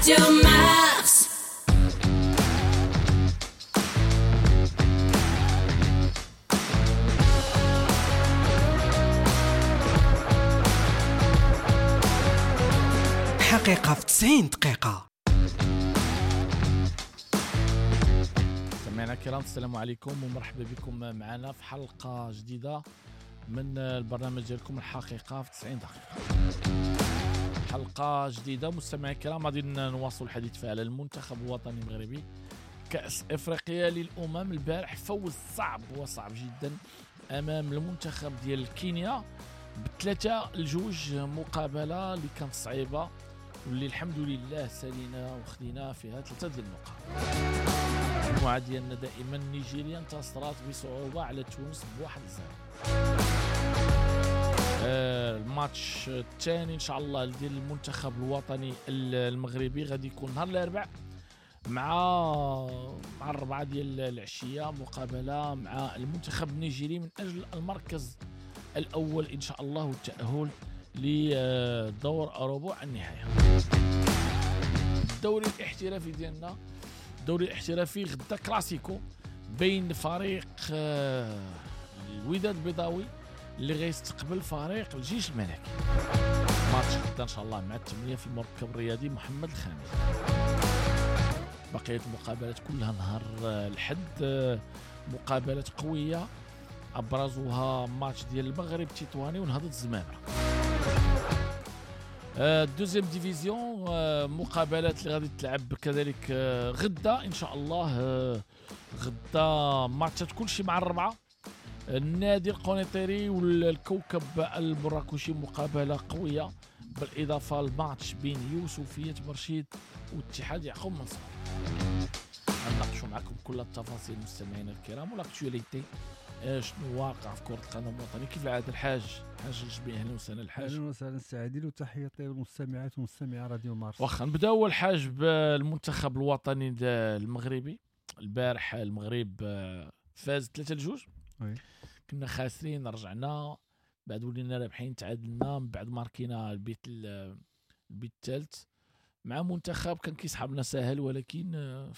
راديو مارس. حقيقة في 90 دقيقة. مستمعينا الكرام، السلام عليكم ومرحبا بكم معنا في حلقة جديدة من البرنامج ديالكم الحقيقة في 90 دقيقة. حلقة جديدة مستمعينا الكرام، غادي نواصل الحديث فيها على المنتخب الوطني المغربي، كأس افريقيا للأمم. البارح فوز صعب وصعب جدا امام المنتخب ديال كينيا ب3-2، مقابلة اللي كانت صعيبة واللي الحمد لله سالينا وخدينا فيها 3 ديال النقاط. المجموعة ديالنا دائما نيجيريا انتصرات بصعوبة على تونس ب1-0. الماتش الثاني ان شاء الله ديال المنتخب الوطني المغربي غادي يكون نهار الاربعاء مع 4 ديال العشية، مقابلة مع المنتخب النيجيري من اجل المركز الاول ان شاء الله والتأهل لدور ربع النهاية. الدوري الاحترافي ديالنا، الدوري الاحترافي غدا كلاسيكو بين فريق الوداد البيضاوي اللي غيستقبل فريق الجيش الملكي. ماتش غدا ان شاء الله مع 8 في المركب الرياضي محمد الخامس. بقية المقابلات كلها نهار الحد، مقابلات قوية ابرزها ماتش ديال المغرب تطواني ونهضة الزمامرة. deuxième division، مقابلات اللي غادي تلعب كذلك غدا ان شاء الله. غدا ماتشات كلشي مع 4، النادي القنيطري والكوكب المراكشي مقابله قوية، بالاضافة لماتش بين يوسفيه برشيد واتحاد يعقوب منصور. غنناقشوا معكم كل التفاصيل مستمعينا الكرام و l'actualité، شنو واقع في كرة القدم الوطنية. كيف العادة الحاج الجبي، اهلا وسهلا الحاج. اهلا وسهلا سي عادل، وتحية طيبة للمستمعات ومستمعي راديو مارس. واخا نبداو اول حاج بالمنتخب الوطني المغربي. البارح المغرب فاز 3-2. oui. كنا خاسرين، رجعنا بعد ولينا رابحين، تعادلنا، من بعد ماركينا البيت الثالث مع منتخب كان كيسحبنا ساهل، ولكن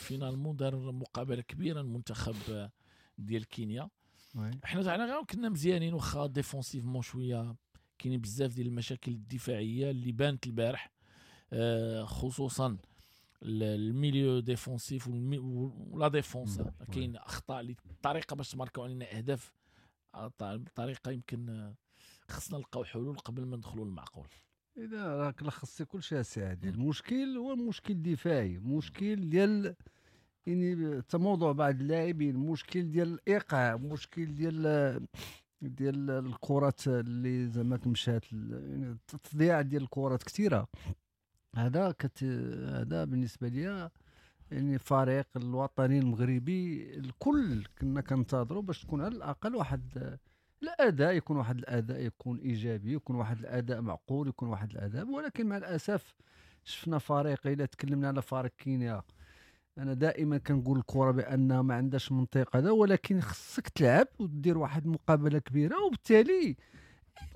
finalement دار مقابله كبيرة المنتخب ديال كينيا. حنا تاعنا غير كنا مزيانين، واخا défensivement شوية كاينين بزاف ديال المشاكل الدفاعية اللي بانت البارح، خصوصا ال milieu défensif و la défense. كاين اخطاء اللي الطريقة باش تماركاو علينا اهداف، بطريقة يمكن خصنا نلقاو حلول قبل ما ندخلوا للمعقول. اذا راك لخصتي كلشي السي عادل. المشكل هو المشكل دفاعي، مشكل ديال يعني تموضع بعض اللاعبين، مشكل ديال الايقاع، مشكل ديال الكرات اللي زعما مشات، يعني التضييع ديال الكرات كثيرة. هذا بالنسبة ليا يعني فريق الوطني المغربي الكل كنا كنتظروا باش تكون على الاقل واحد الاداء، يكون واحد الاداء يكون ايجابي، يكون واحد الاداء معقول، يكون واحد الاداء. ولكن مع الاسف شفنا فريق، الا تكلمنا على فريق كينيا، انا دائما كنقول الكره بانها ما عندهاش منطق هذا، ولكن خصك تلعب ودير واحد المقابلة كبيرة، وبالتالي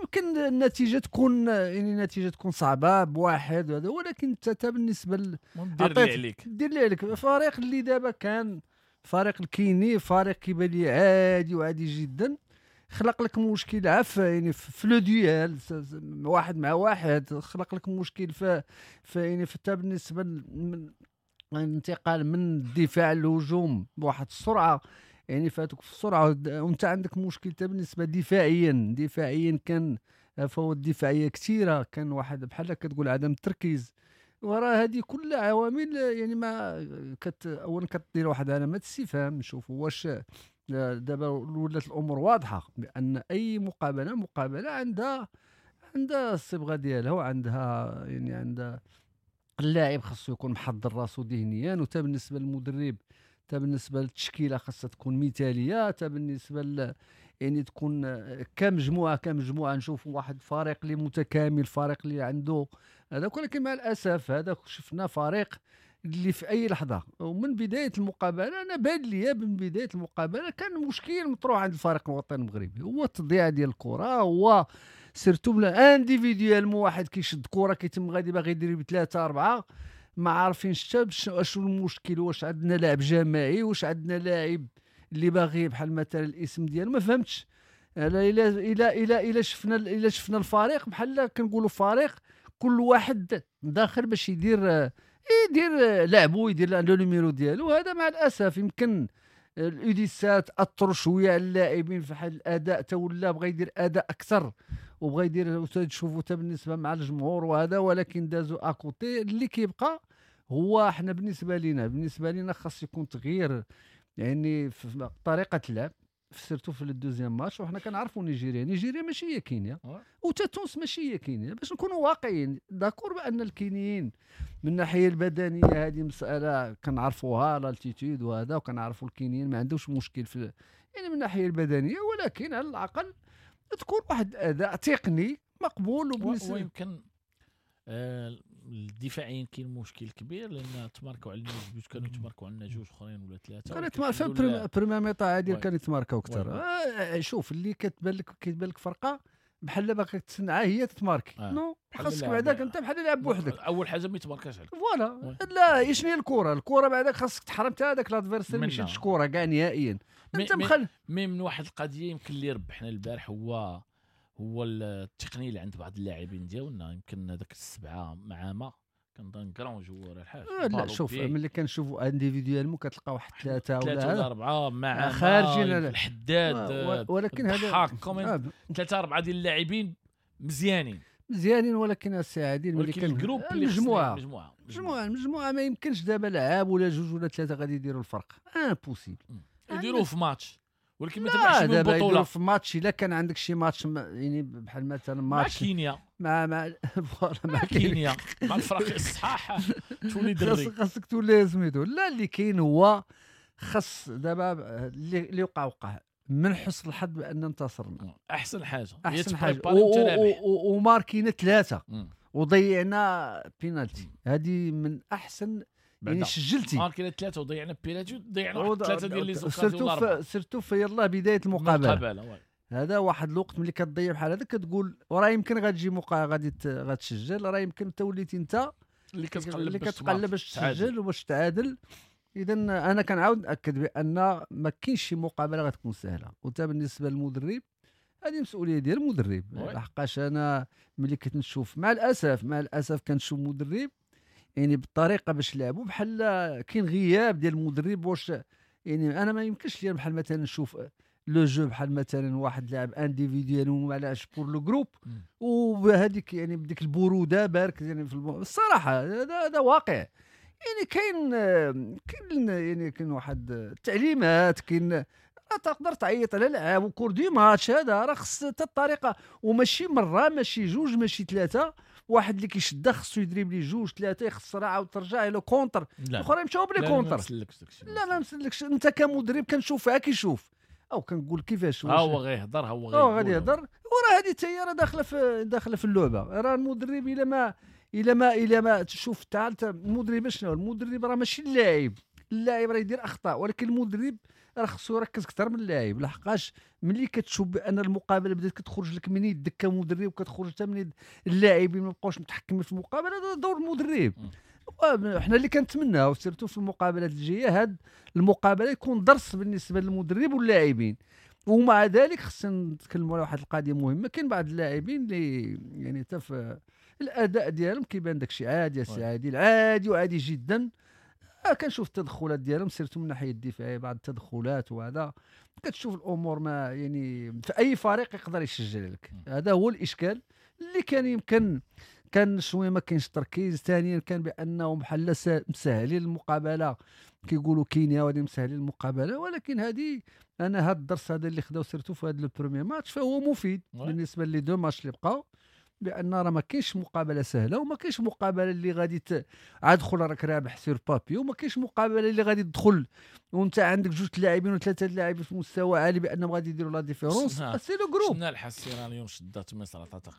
يمكن النتيجة تكون يعني النتيجة تكون صعبة بواحد هذا، ولكن انت بالنسبة دير اللي عليك، دير اللي عليك. فريق اللي دابا كان فريق الكيني، فريق كيبان لي عادي وعادي جدا، خلق لك مشكل عف يعني في le duel واحد مع واحد، خلق لك مشكل في يعني حتى بالنسبة الانتقال من الدفاع للهجوم بواحد السرعة، يعني فاتوك في السرعة، وانت عندك مشكل حتى بالنسبة دفاعيا كان فوات دفاعية كثيرة، كان واحد بحال كتقول عدم التركيز. وراه هذه كل عوامل يعني ما اولا كدير واحد علامة استفهام، نشوفوا واش دابا ولات الامور واضحة بان اي مقابله عندها الصبغه ديالها، وعندها يعني عندها اللاعب خاصو يكون محضر راسو ذهنيا، وتا بالنسبة للمدرب، تا بالنسبة للتشكيله خاصها تكون مثاليه، تا بالنسبة يعني تكون كمجموعة نشوفوا واحد الفريق اللي متكامل، فريق اللي عنده هذاك. ولكن مع الاسف هذاك شفنا فريق اللي في اي لحظة ومن بداية المقابلة، انا بان لي من بداية المقابلة كان مشكل مطروح عند الفريق الوطني المغربي، هو التضييع ديال الكره، هو surtout individuellement واحد كيشد كره كيتم غادي باغي يدير بثلاثة اربعة، ما عارفينش حتى اشنو المشكل، واش عندنا لاعب جماعي، واش عندنا لاعب اللي باغي بحال مثلا الاسم ديالو ما فهمتش. الا الا الا الا شفنا الفريق بحال كنقولوا فريق كل واحد داخل باش يدير لعبو، يدير le numéro ديالو. هذا مع الاسف يمكن ال U17 اثروا شوية على اللاعبين في حال الاداء، تا ولا بغى يدير اداء اكثر وبغى يدير، تشوفوا حتى بالنسبة مع الجمهور وهذا، ولكن دازوا à côté. اللي كيبقى هو حنا بالنسبة لينا خاص يكون تغيير يعني في طريقه اللعب، surtout في ال deuxième match. وحنا كنعرفوا نيجيريا ماشي هي كينيا، وتا تونس ماشي هي كينيا، باش نكونوا واقعيين. d'accord بان الكينيين من الناحية البدنية هذه مسالة كنعرفوها، l'altitude وهذا، وكنعرفوا الكينيين ما عندهمش مشكل في يعني من الناحية البدنية، ولكن على الاقل تكون واحد الاداء تقني مقبول. وبالنسبة ويمكن الدفاعيين كاين مشكل كبير، لان تماركوا علينا جوج، كانوا يتماركوا علينا جوج اخرين ولا ثلاثة، كانوا يتماركوا première mi-temps عادي، كانوا يتماركوا اكثر. شوف اللي كتبان لك فرقه بحال باغي تسنعها هي تتماركي، non خاصك بعداك انت بحال لعب بوحدك. اول حاجة ما يتماركاش عليك voilà. لا شنو هي الكره بعداك خاصك تحرم حتى هذاك l'adversaire ما يشدش كره كاع نهائيا. انت مخل mais من واحد القضية يمكن اللي ربحنا البارح هو التقنية اللي عند بعض اللاعبين ديالنا، يمكن هذاك السبعة مع ما كنظن grand joueur الحاج. لا شوف ملي كنشوفوا individuellement كتلقى واحد ثلاثة ولا اربعة مع خارجين الحداد، ولكن هذا ثلاثة اربعة ديال اللاعبين مزيانين، ولكن السي عادل ملي كان ال groupe المجموعة المجموعة ما يمكنش دابا لعاب ولا جوج ولا ثلاثة غادي يديروا الفرق، impossible يديروه في ماتش، ولكن ما تبعش من البطولة في ماتش. الا كان عندك شي ماتش يعني بحال مثلا ماتش مع كينيا مع voilà مع كينيا مع الفرق الصحاح تولي دري خاصك تولي سميتو. لا اللي كاين هو خاص دابا اللي وقع من حسن الحظ بان انتصرنا، احسن حاجة وماركينا ثلاثة وضيعنا بينالتي، هذه من احسن يعني سجلتي ماركينا ثلاثة وضيعنا بينالتي، ضيعنا واحد ثلاثة ديال les occasions، surtout في يلاه بداية المقابلة. هذا واحد الوقت ملي كتضيع بحال هذا كتقول وراه يمكن غتجي غادي غتسجل، راه يمكن انت وليتي انت اللي كتقلب باش تسجل وباش تعادل. اذا انا كنعاود ناكد بان ما كاينش شي مقابله غتكون سهلة، وانت بالنسبة للمدرب هذه مسؤولية ديال المدرب. لحقاش انا ملي كنت نشوف مع الاسف كنشوف مدرب يعني بالطريقة باش لعبوا بحال كاين غياب ديال المدرب. واش يعني انا ما يمكنش لي بحال مثلا نشوف le jeu بحال مثلا واحد لاعب individuel وما لعبش pour le groupe وبهذيك يعني بديك البرودة بارك يعني في الصراحة هذا واقع. يعني كاين يعني كاين واحد التعليمات، كاين تقدر تعيط على لعاب au cours du match، هذا راه خص حتى الطريقة، وماشي مرة ماشي جوج ماشي ثلاثة، واحد اللي كيشد خصو يدريبلي جوج ثلاثة يخسر عاود ترجع له contre، الاخرين مشاو ب les contres. لا ما مسلكش انت كمدرب كنشوفها كيشوف او كنقول كيفاش هو غيهضر هو غادي يهضر، وراه هذه حتى هي راه داخله في اللعبة. راه المدرب الا ما تشوف تاع المدرب شنو المدرب راه ماشي اللاعب راه يدير اخطاء، ولكن المدرب راه خصو يركز اكثر من اللاعب. لحقاش ملي كتشوف بان المقابلة بدات كتخرج لك من يدك كمدرب وكتخرج حتى من يد اللاعبين ما بقاوش متحكمين في المقابلة، هذا دور المدرب. حنا اللي كنتمناو surtout في المقابلات الجاية هاد المقابلة يكون درس بالنسبة للمدرب واللاعبين. ومع ذلك خصنا نتكلموا على واحد القضية مهمة، كاين بعض اللاعبين اللي يعني حتى في الاداء ديالهم كيبان داكشي عادي يا سي عادل، عادي وعادي جدا. كنشوف التدخلات ديالهم surtout من الناحية الدفاعية، بعض التدخلات وهذا كتشوف الامور ما يعني في اي فريق يقدر يسجل لك. هذا هو الاشكال اللي كان يمكن كان شوية ما كاينش تركيز. ثانيا كان بانهم بحال مسهلين المقابلة، كيقولوا كينيا وهذه مسهلين المقابلة، ولكن هذه انا هذا الدرس هذا اللي خداو surtout في هذا le premier match فهو مفيد بالنسبة les deux matchs اللي بقاو، بان راه ما كاينش مقابله سهلة وما كاينش مقابله اللي غادي عاد دخل راك رابح sur papier، وما كاينش مقابله اللي غادي تدخل وانت عندك جوج لاعبين وثلاثة لاعبين في مستوى عالي بانهم غادي يديروا la différence. c'est le groupe. شفنا الحسيرانيون شدات مصر عطاتها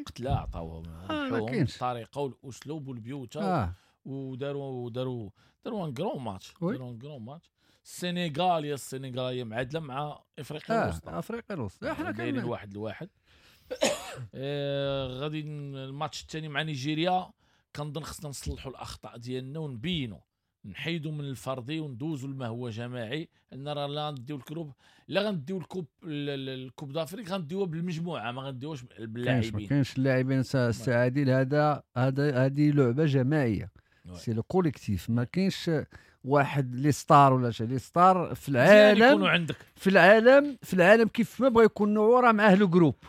قتله عطاوهم الطريقة والاسلوب والبيوت وداروا داروا داروا un grand match، داروا un grand match. السنغال يا السنغال معادلة مع افريقيا الوسطى، افريقيا الوسطى حنا كاينين 1-1. غادي الماتش الثاني مع نيجيريا كنظن خصنا نصلحوا الاخطاء ديالنا ونبينوا، نحيدوا من الفردي وندوزوا لما هو جماعي. ان راه لا غنديو ال groupe، لا غنديو ال coupe، ال coupe d'Afrique غنديوها بالمجموعة، ما غنديوهاش باللاعبين. ما كاينش اللاعبين السي عادل، هذا هذه لعبه جماعية، c'est le collectif. ما كاينش واحد les stars ولا شي les stars في العالم عندك. في العالم كيف ما بغى يكون نوعو راه معاه le groupe،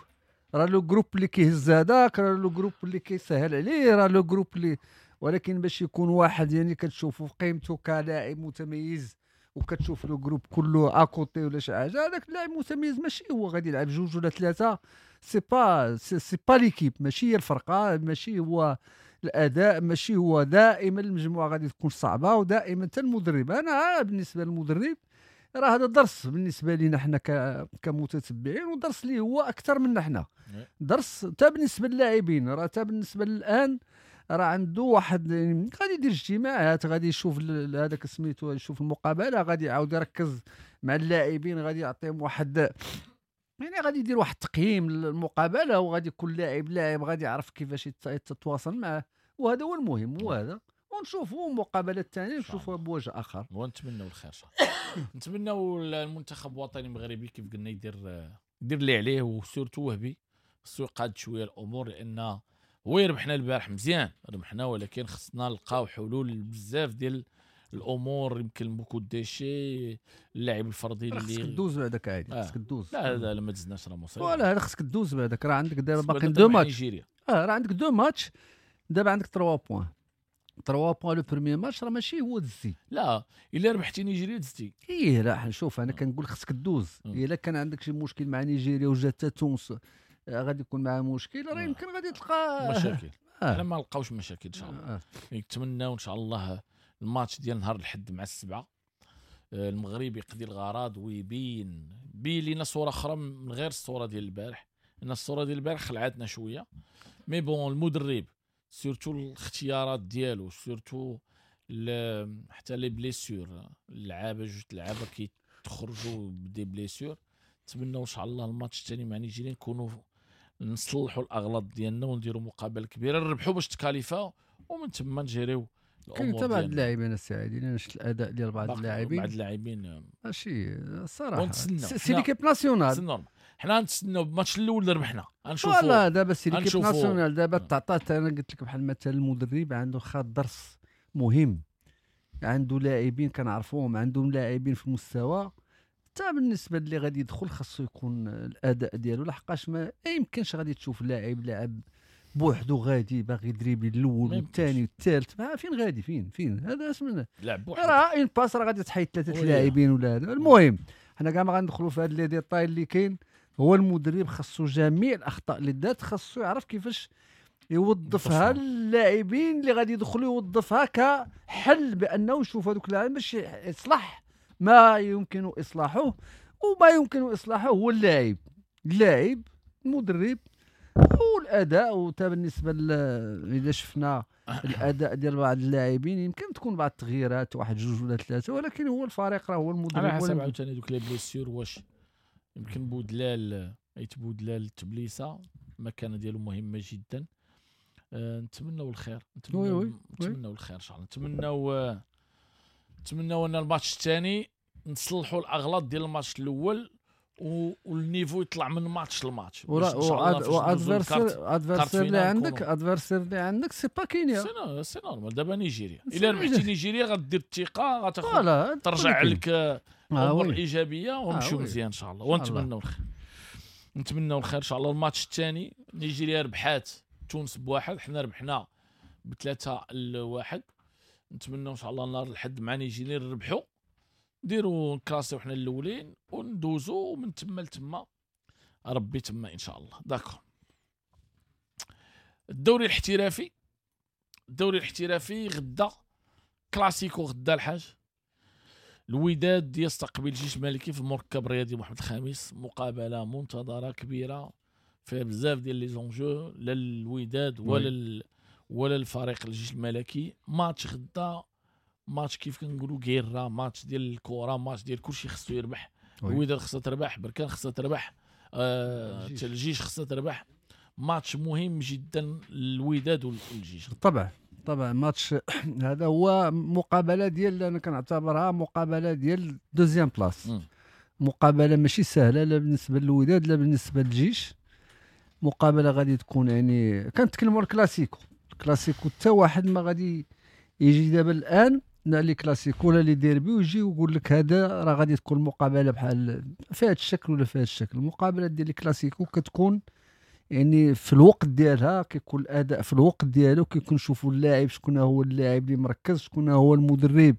راه le groupe اللي كيهز هذاك، راه le groupe اللي كيسهل عليه، راه le groupe اللي، ولكن باش يكون واحد يعني كتشوفو في قيمته كلاعب متميز وكتشوف le groupe كله à côté ولا شي حاجة، هذاك اللاعب متميز ماشي هو غادي يلعب جوج ولا ثلاثة، c'est pas l'équipe، ماشي هي الفرقة، ماشي هو الاداء، ماشي هو. دائما المجموعة غادي تكون صعبة، ودائما حتى المدرب. انا بالنسبة للمدرب راه هذا درس بالنسبة لنا حنا كمتتبعين، ودرس اللي هو اكثر منا حنا، درس حتى بالنسبة للاعبين. راه حتى بالنسبة للان راه عنده واحد غادي يدير اجتماعات، غادي يشوف هذاك سميتو، يشوف المقابلة، غادي يعاود يركز مع اللاعبين، غادي يعطيهم واحد يعني غادي يدير واحد التقييم للمقابله، وغادي كل لاعب غادي يعرف كيفاش يتواصل معه، وهذا هو المهم. وهذا ونشوفوا المقابلة الثانية، نشوفوها بوجه اخر، ونتمنوا الخير ان شاء الله. نتمنوا المنتخب الوطني المغربي كيف قلنا يدير اللي عليه، و surtout وهبي خصو يقاد شوية الامور، لان هو ربحنا البارح مزيان ربحنا، ولكن خصنا نلقاو حلول بزاف ديال الامور. يمكن beaucoup déchets، اللاعب الفردي اللي خصك دوز بعدك عادي، خصك دوز. لا لا ما دزناش راه مصيبة، ولا هذا خصك دوز بعدك. راه عندك دابا باقي deux matchs، راه عندك deux matchs دابا، عندك 3 points، 3 points le premier match راه ماشي هو دزتي. لا الا ربحتي نيجيريا دزتي. ايه لا شوف انا كنقول خصك دوز. الا كان عندك شي مشكل مع نيجيريا وجات تونس غادي يكون معها مشكل، راه يمكن غادي تلقى مشاكل. حنا ما نلقاوش مشاكل ان شاء الله. نتمناو ان شاء الله الماتش ديال نهار الحد مع 7 المغرب يقضي الغرض ويبين بين لنا صوره اخرى من غير الصورة ديال البارح، ان الصورة ديال البارح خلعتنا شوية. mais bon المدرب surtout الاختيارات ديالو، surtout حتى les blessures، اللعابه جوج لعابه كيتخرجوا ب des blessures. نتمنوا ان شاء الله الماتش الثاني مع نيجيريا نكونوا نصلحوا الاغلاط ديالنا ونديروا مقابله كبيرة، نربحوا باش تكاليفا، ومن ثم نجريو الامور. كاين بعض اللاعبين السعيدين، انا شفت الاداء ديال بعض اللاعبين ماشي الصراحة، c'est l'équipe nationale، c'est normal. حنا نتسناو الماتش الاول ربحنا غنشوفوا. voilà دابا c'est l'équipe nationale دابا تعطات. انا قلت لك بحال مثلا المدرب عنده خاط درس مهم، عنده لاعبين كنعرفوهم، عندهم لاعبين في المستوى. حتى بالنسبة اللي غادي يدخل خاصو يكون الاداء ديالو، لحقاش ما يمكنش غادي تشوف لاعب لاعب بوحدو غادي باغي يدريبي الاول والثاني والثالث، ما فين غادي، فين هذا اسمنا لعب بوحدو، راه une passe راه غادي تحيد ثلاثة لاعبين ولا هذا. المهم حنا كاع ما غندخلوا في هاد les détails اللي كاين. هو المدرب خاصو جميع الاخطاء اللي دارت خاصو يعرف كيفاش يوظفها اللاعبين اللي غادي يدخلوا، يوظفها كحل بانه يشوف هذوك اللاعبين باش يصلح ما يمكن اصلاحه، وما يمكن اصلاحه هو اللاعب المدرب والاداء. وتا بالنسبة اذا شفنا الاداء ديال بعض اللاعبين يمكن تكون بعض التغييرات، واحد جوج ولا ثلاثة، ولكن هو الفريق راه هو المدرب. على حسب عاوتاني دوك les blessures، واش يمكن بودلال ايت بودلال تبليسه المكانة ديالو مهمة جدا. نتمنوا الخير، نتمنوا الخير ان شاء الله. نتمنوا ان الماتش الثاني نصلحوا الاغلاط ديال الماتش الاول، وال niveau يطلع من ماتش لماتش. و adversaire اللي عندك، adversaire اللي عندك c'est pas كينيا، c'est normal. دابا نيجيريا الا ربحتي نيجيريا غدير الثقة، غتاخذ ترجع لك امور ايجابية ونمشيو مزيان ان شاء الله. ونتمنوا الخير، نتمنوا الخير ان شاء الله. الماتش الثاني نيجيريا ربحات تونس بواحد، حنا ربحنا 3-1. نتمنوا ان شاء الله نهار الحد مع نيجيريا نربحوا، نديروا نكلاسيو حنا الاولين وندوزو، ومن تما لتما ربي تما ان شاء الله. d'accord. الدوري الاحترافي، الدوري الاحترافي غدا كلاسيكو، غدا الحاج الوداد يستقبل الجيش الملكي في المركب الرياضي محمد الخامس، مقابله منتظره كبيرة فيها بزاف ديال les enjeux، لا الوداد ولا الفريق الجيش الملكي. ماتش غدا، ماتش كيف كنقولوا guerre، ماتش ديال الكره، ماتش ديال كلشي خصو يربح. الوداد خصها تربح، بركان خصها تربح، الجيش خصها تربح. ماتش مهم جدا الوداد والجيش بالطبع. طبعا ماتش هذا هو مقابله ديال، انا كنعتبرها مقابله ديال deuxième place. مقابله ماشي سهلة لا بالنسبة للوداد لا بالنسبة للجيش. مقابله غادي تكون يعني كنتكلموا الكلاسيكو، الكلاسيكو حتى واحد ما غادي يجي دابا الان لا les classicos ولا les derbys ويجي ويقول لك هذا راه غادي تكون مقابله بحال في هذا الشكل ولا في هذا الشكل. المقابلة ديال الكلاسيكو كتكون يعني في الوقت ديالها، كيكون الاداء في الوقت ديالو، كيكون نشوفوا اللاعب شكون هو اللاعب اللي مركز، شكون هو المدرب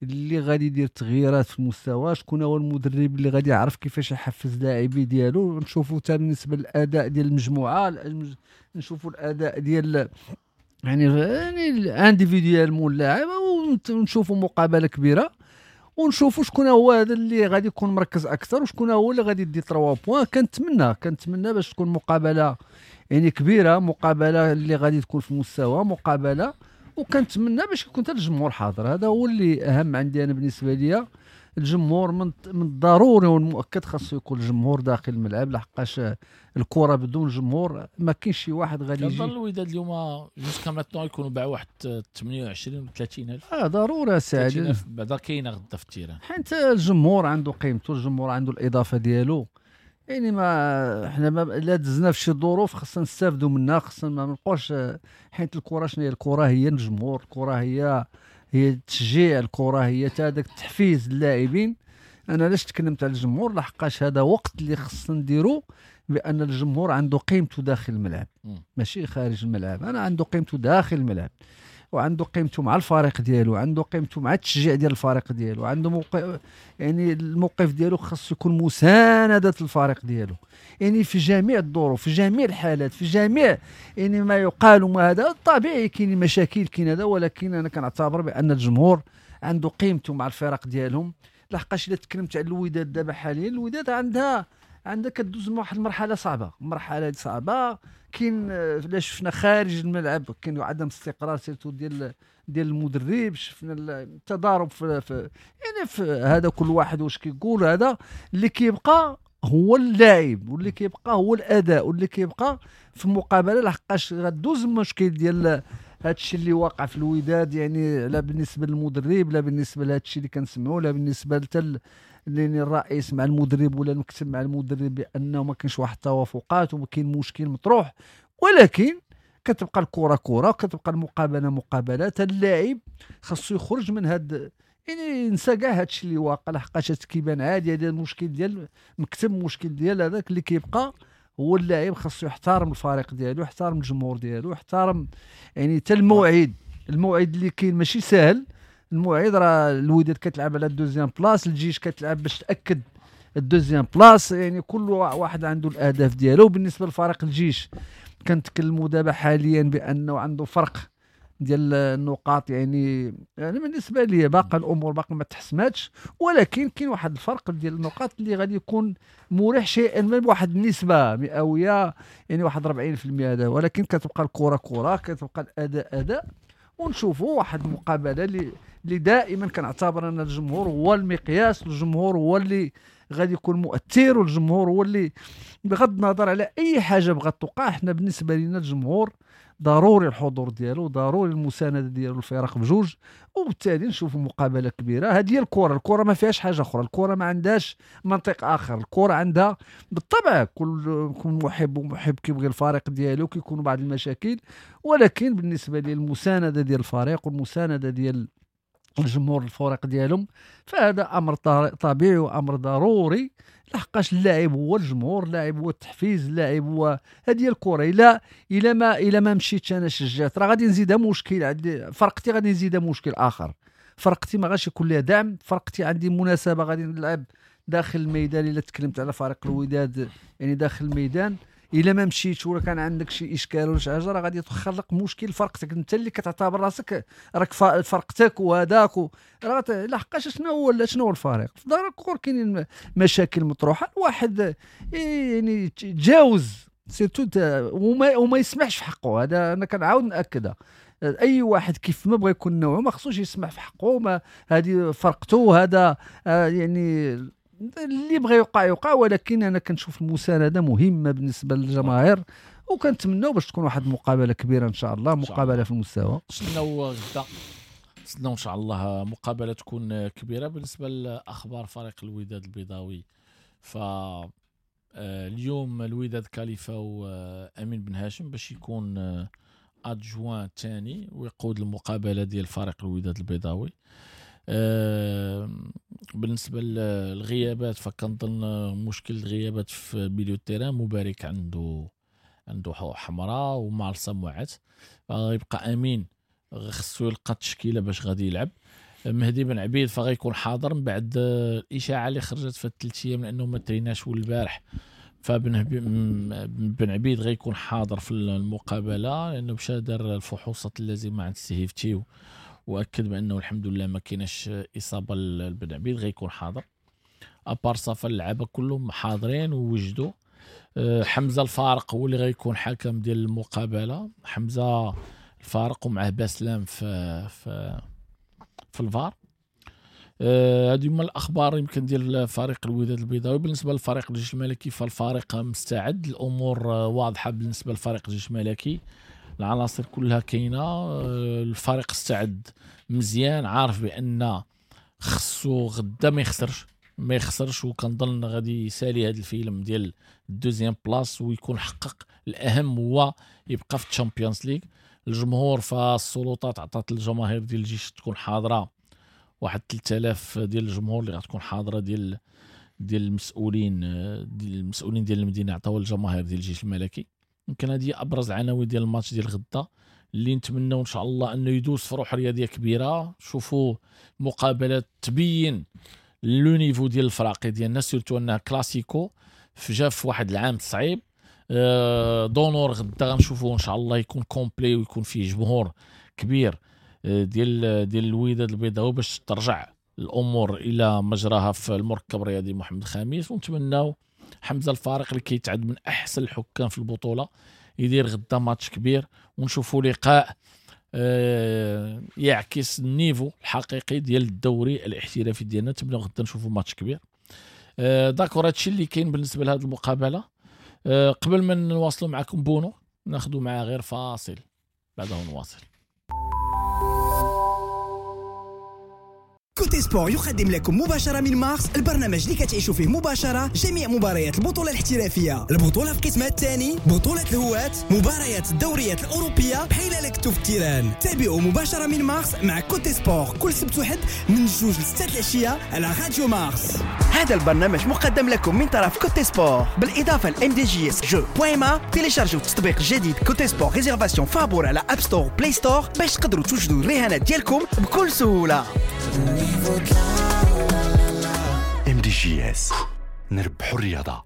اللي غادي يدير تغييرات في المستوى، شكون هو المدرب اللي غادي يعرف كيفاش يحفز اللاعبين ديالو. نشوفوا حتى بالنسبة للاداء ديال المجموعة، نشوفوا الاداء ديال يعني individuellement اللاعب، ونشوفوا مقابله كبيرة ونشوفوا شكون هو هذا اللي غادي يكون مركز اكثر وشكون هو اللي غادي يدي 3 points. كنتمنى باش تكون مقابله يعني كبيرة، مقابله اللي غادي تكون في المستوى، مقابله، وكنتمنى باش يكون حتى الجمهور حاضر. هذا هو اللي اهم عندي انا بالنسبة ليا. الجمهور من الضروري والمؤكد خاصو يكون الجمهور داخل الملعب، لحقاش الكره بدون جمهور ما كاينش شي واحد غادي يجي. كنظن الوداد اليوم jusqu'à maintenant يكونوا باعوا واحد 28 30 الف. ضروري سعيد، بعدا كاينه غدا في ال terrain، حيت الجمهور عنده قيمته، الجمهور عنده الاضافة ديالو. يعني ما حنا ما لا دزنا في شي ظروف خصنا نستافدوا منها، خصنا ما نبقاوش، حيت الكره شنو هي؟ الكره هي الجمهور، الكره هي التشجيع، الكره هي حتى هذاك التحفيز اللاعبين. انا علاش تكلمت على الجمهور؟ لحقاش هذا وقت اللي خصنا نديرو بان الجمهور عنده قيمته داخل الملعب ماشي خارج الملعب. انا عنده قيمته داخل الملعب، وعنده قيمته مع الفريق ديالو، عنده قيمته مع التشجيع ديال الفريق ديالو، عنده موقف، يعني الموقف ديالو خاص يكون مساندة الفريق ديالو، يعني في جميع الظروف، في جميع الحالات، في جميع يعني ما يقال وما هذا. طبيعي كاين مشاكل كاين هذا، ولكن انا كنعتبر بان الجمهور عنده قيمته مع الفرق ديالهم. لحقاش الا تكلمت على الوداد دابا حاليا، الوداد عندها كدوز من واحد المرحلة صعبة، مرحلة صعبة. كاين لا شفنا خارج الملعب كاين عدم استقرار surtout ديال المدرب، شفنا التضارب في يعني في هذا، كل واحد واش كيقول. هذا اللي كيبقى هو اللاعب، واللي كيبقى هو الاداء، واللي كيبقى في المقابلة. لحقاش غدوز المشكل ديال هذا الشيء اللي واقع في الوداد، يعني لا بالنسبة للمدرب، لا بالنسبة لهذا الشيء اللي كنسمعوا، لا بالنسبة حتى لان الرئيس مع المدرب ولا المكتب مع المدرب، بانه ما كاينش واحد التوافقات وما كاين مشكل مطروح. ولكن كتبقى الكره كره، كتبقى المقابلة مقابله. اللاعب خاصو يخرج من هاد، يعني ينسى كاع هادشي اللي واقع، لحقاش كيبان عادي. هذا المشكل ديال المكتب، مشكل ديال هذاك اللي كيبقى هو اللاعب خاصو يحترم الفريق ديالو، يحترم الجمهور ديالو، يحترم يعني حتى الموعد. الموعد اللي كاين ماشي ساهل. الموعد راه الوداد كتلعب على ال deuxième place، الجيش كتلعب باش تاكد ال deuxième place، يعني كل واحد عنده الاهداف ديالو. بالنسبة لفريق الجيش كنتكلموا دابا حاليا بانه عنده فرق ديال النقاط، يعني بالنسبة لي باقي الامور باقي ما تحسماتش، ولكن كاين واحد الفرق ديال النقاط اللي غادي يكون مريح شيئا ما بواحد النسبة مئوية، يعني واحد 40% هذا. ولكن كتبقى الكره كره، كتبقى الاداء اداء، ونشوفوا واحد المقابلة اللي دائما كنعتبر ان الجمهور هو المقياس، الجمهور هو اللي غادي يكون مؤثر، والجمهور هو اللي بغض النظر على اي حاجة بغات توقع، حنا بالنسبة لنا الجمهور ضروري الحضور ديالو، ضروري المساندة ديالو الفرق بجوج، وبالتالي نشوفوا مقابله كبيرة. هذه هي الكره، الكره ما فيهاش حاجة اخرى، الكره ما عندهاش منطق اخر، الكره عندها بالطبع كل محب ومحب كيبغي الفريق ديالو، كيكونوا بعض المشاكل، ولكن بالنسبة لي المساندة ديال الفريق والمسانده ديال الجمهور الفريق ديالهم فهذا امر طبيعي وامر ضروري، لحقاش اللاعب هو الجمهور، اللاعب هو التحفيز، اللاعب هو هذه الكره. الا ما مشيتش انا شجعت راه غادي نزيدها مشكل، عندي فرقتي غادي نزيدها مشكل اخر، فرقتي ما غاش يكون لها دعم، فرقتي عندي مناسبة غادي نلعب داخل الميدان. الا تكلمت على فريق الوداد يعني داخل الميدان، الا ما مشيتش ولا كان عندك شي اشكال ولا شي حاجة راه غادي تخلق مشكل فرقتك انت اللي كتعتبر راسك راك فرقتك وهذاك راه لحقاش شنو هو الفريق في دار الكور كاينين مشاكل مطروحة، الواحد يعني تجاوز surtout وما يسمحش في حقه. هذا انا كنعاود ناكدها، اي واحد كيف ما بغى يكون نوعه ما خصوش يسمح في حقه، ما هذه فرقته، هذا يعني اللي بغى يوقع يوقع، ولكن انا كنشوف المساندة مهمة بالنسبة للجماهير، وكنتمناو باش تكون واحد المقابلة كبيرة ان شاء الله، مقابله في المستوى. نتسناو غدا، نتسناو ان شاء الله مقابله تكون كبيرة. بالنسبة لاخبار فريق الوداد البيضاوي، ف اليوم الوداد كاليفاو امين بن هاشم باش يكون adjoint ثاني ويقود المقابلة ديال فريق الوداد البيضاوي. بالنسبة للغيابات فكنظن مشكل الغيابات في milieu terrain، مبارك عنده حمراء ومارسا موعت، غيبقى امين خصو يلقى التشكيلة باش غادي يلعب. مهدي بن عبيد فغيكون حاضر من بعد الاشاعة اللي خرجت في الثلاث ايام لانه ما تريناش والبارح، فبن بن عبيد غيكون حاضر في المقابلة لانه مشى دار الفحوصات اللازمة عند السيفتي واكد بانه الحمد لله ما كايناش اصابه لبن عبيد، غيكون حاضر. à part ça فاللعابه كلهم حاضرين ووجدوا. حمزة الفارق هو اللي غيكون حكم ديال المقابلة، حمزة الفارق ومعه باسلام في في في الفار. هذه هما الاخبار يمكن ديال فريق الوداد البيضاوي. بالنسبة للفريق الجيش الملكي فالفريق مستعد، الامور واضحة بالنسبة لفريق الجيش الملكي، العناصر كلها كاينه، الفريق استعد مزيان، عارف بان خصو غدا ما يخسرش، وكنظن غادي يسالي هذا الفيلم ديال ال deuxième place ويكون حقق الاهم هو يبقى في الشامبيونز ليغ. الجمهور فالسلطات عطات الجماهير ديال الجيش تكون حاضره، واحد 3000 ديال الجمهور اللي غتكون حاضره ديال المسؤولين، ديال المسؤولين ديال المدينة عطاو الجماهير ديال الجيش الملكي. يمكن هذه ابرز العناوين ديال الماتش ديال غدا اللي نتمنوا ان شاء الله انه يدوز في روح رياضية كبيرة. شوفوا مقابلات تبين le niveau ديال الفراقي ديالنا، surtout انها كلاسيكو جا في واحد العام صعيب. d'honneur غدا غنشوفوه ان شاء الله يكون complet ويكون فيه جمهور كبير ديال الوداد البيضاوي باش ترجع الامور الى مجراها في المركب الرياضي محمد الخامس. ونتمناو حمزة الفارق اللي كيتعد من احسن الحكام في البطولة يدير غدا ماتش كبير، ونشوفوا لقاء يعكس ال niveau الحقيقي ديال الدوري الاحترافي ديالنا. نتمناو غدا نشوفوا ماتش كبير. d'accord، هادشي اللي كاين بالنسبة لهذه المقابلة. قبل ما نواصلوا معكم بونو ناخذوا معاه غير فاصل، بعده نواصل. كوتي سبور يقدم لكم مباشرة من مارس البرنامج اللي كتعيشوا فيه مباشرة جميع مباريات البطولة الاحترافية، البطولة في قسمها الثاني، بطولة الهواة، مباريات الدوريات الأوروبية بحال لكتو في ال terrain. تابعوا مباشرة من مارس مع كوتي سبور كل سبت وحد من 2 ل 6 العشية على راديو مارس. هذا البرنامج مقدم لكم من طرف كوتي سبور بالإضافة ل MDJS jeux point ma. تيليشارجوا التطبيق الجديد كوتي سبور réservation فابور على App Store Play Store باش تقدروا توجدوا الرهانات ديالكم بكل سهولة. MDJS نربحوا الرياضة.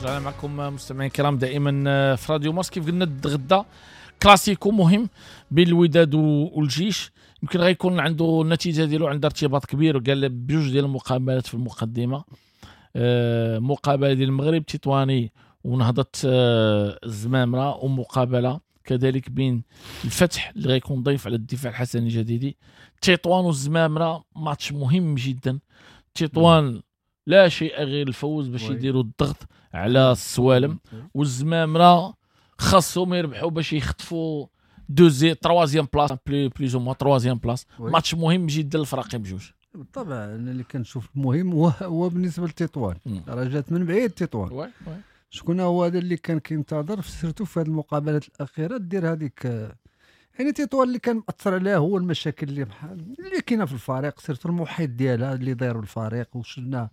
معكم مستمعين الكرام دائما في راديو مارس. كيف قلنا غدا كلاسيكو مهم بين الوداد والجيش، يمكن غيكون عنده النتيجة ديالو عندها ارتباط كبير، وقال بجوج ديال المقابلات في المقدمة، مقابله ديال المغرب تطواني ونهضه الزمامره، ومقابله كذلك بين الفتح اللي غيكون ضيف على الدفاع الحسني الجديدي. تطوان والزمامره ماتش مهم جدا. تطوان لا شيء غير الفوز باش يديروا الضغط على السوالم، والزمامره خاصهم يربحوا باش يخطفوا deuxième troisième place plus ou moins troisième place. ماتش مهم جدا للفريقين بجوج. بالطبع انا اللي كنشوف المهم هو بالنسبة لتطوان، راه جات من بعيد تطوان. شكون هو هذا اللي كان كينتظر surtout في هذه المقابلات الاخيرة دير هذيك، يعني تطوان اللي كان مأثر عليها هو المشاكل اللي كاينه في الفريق، surtout المحيط ديالها اللي داير بالفريق، وشفنا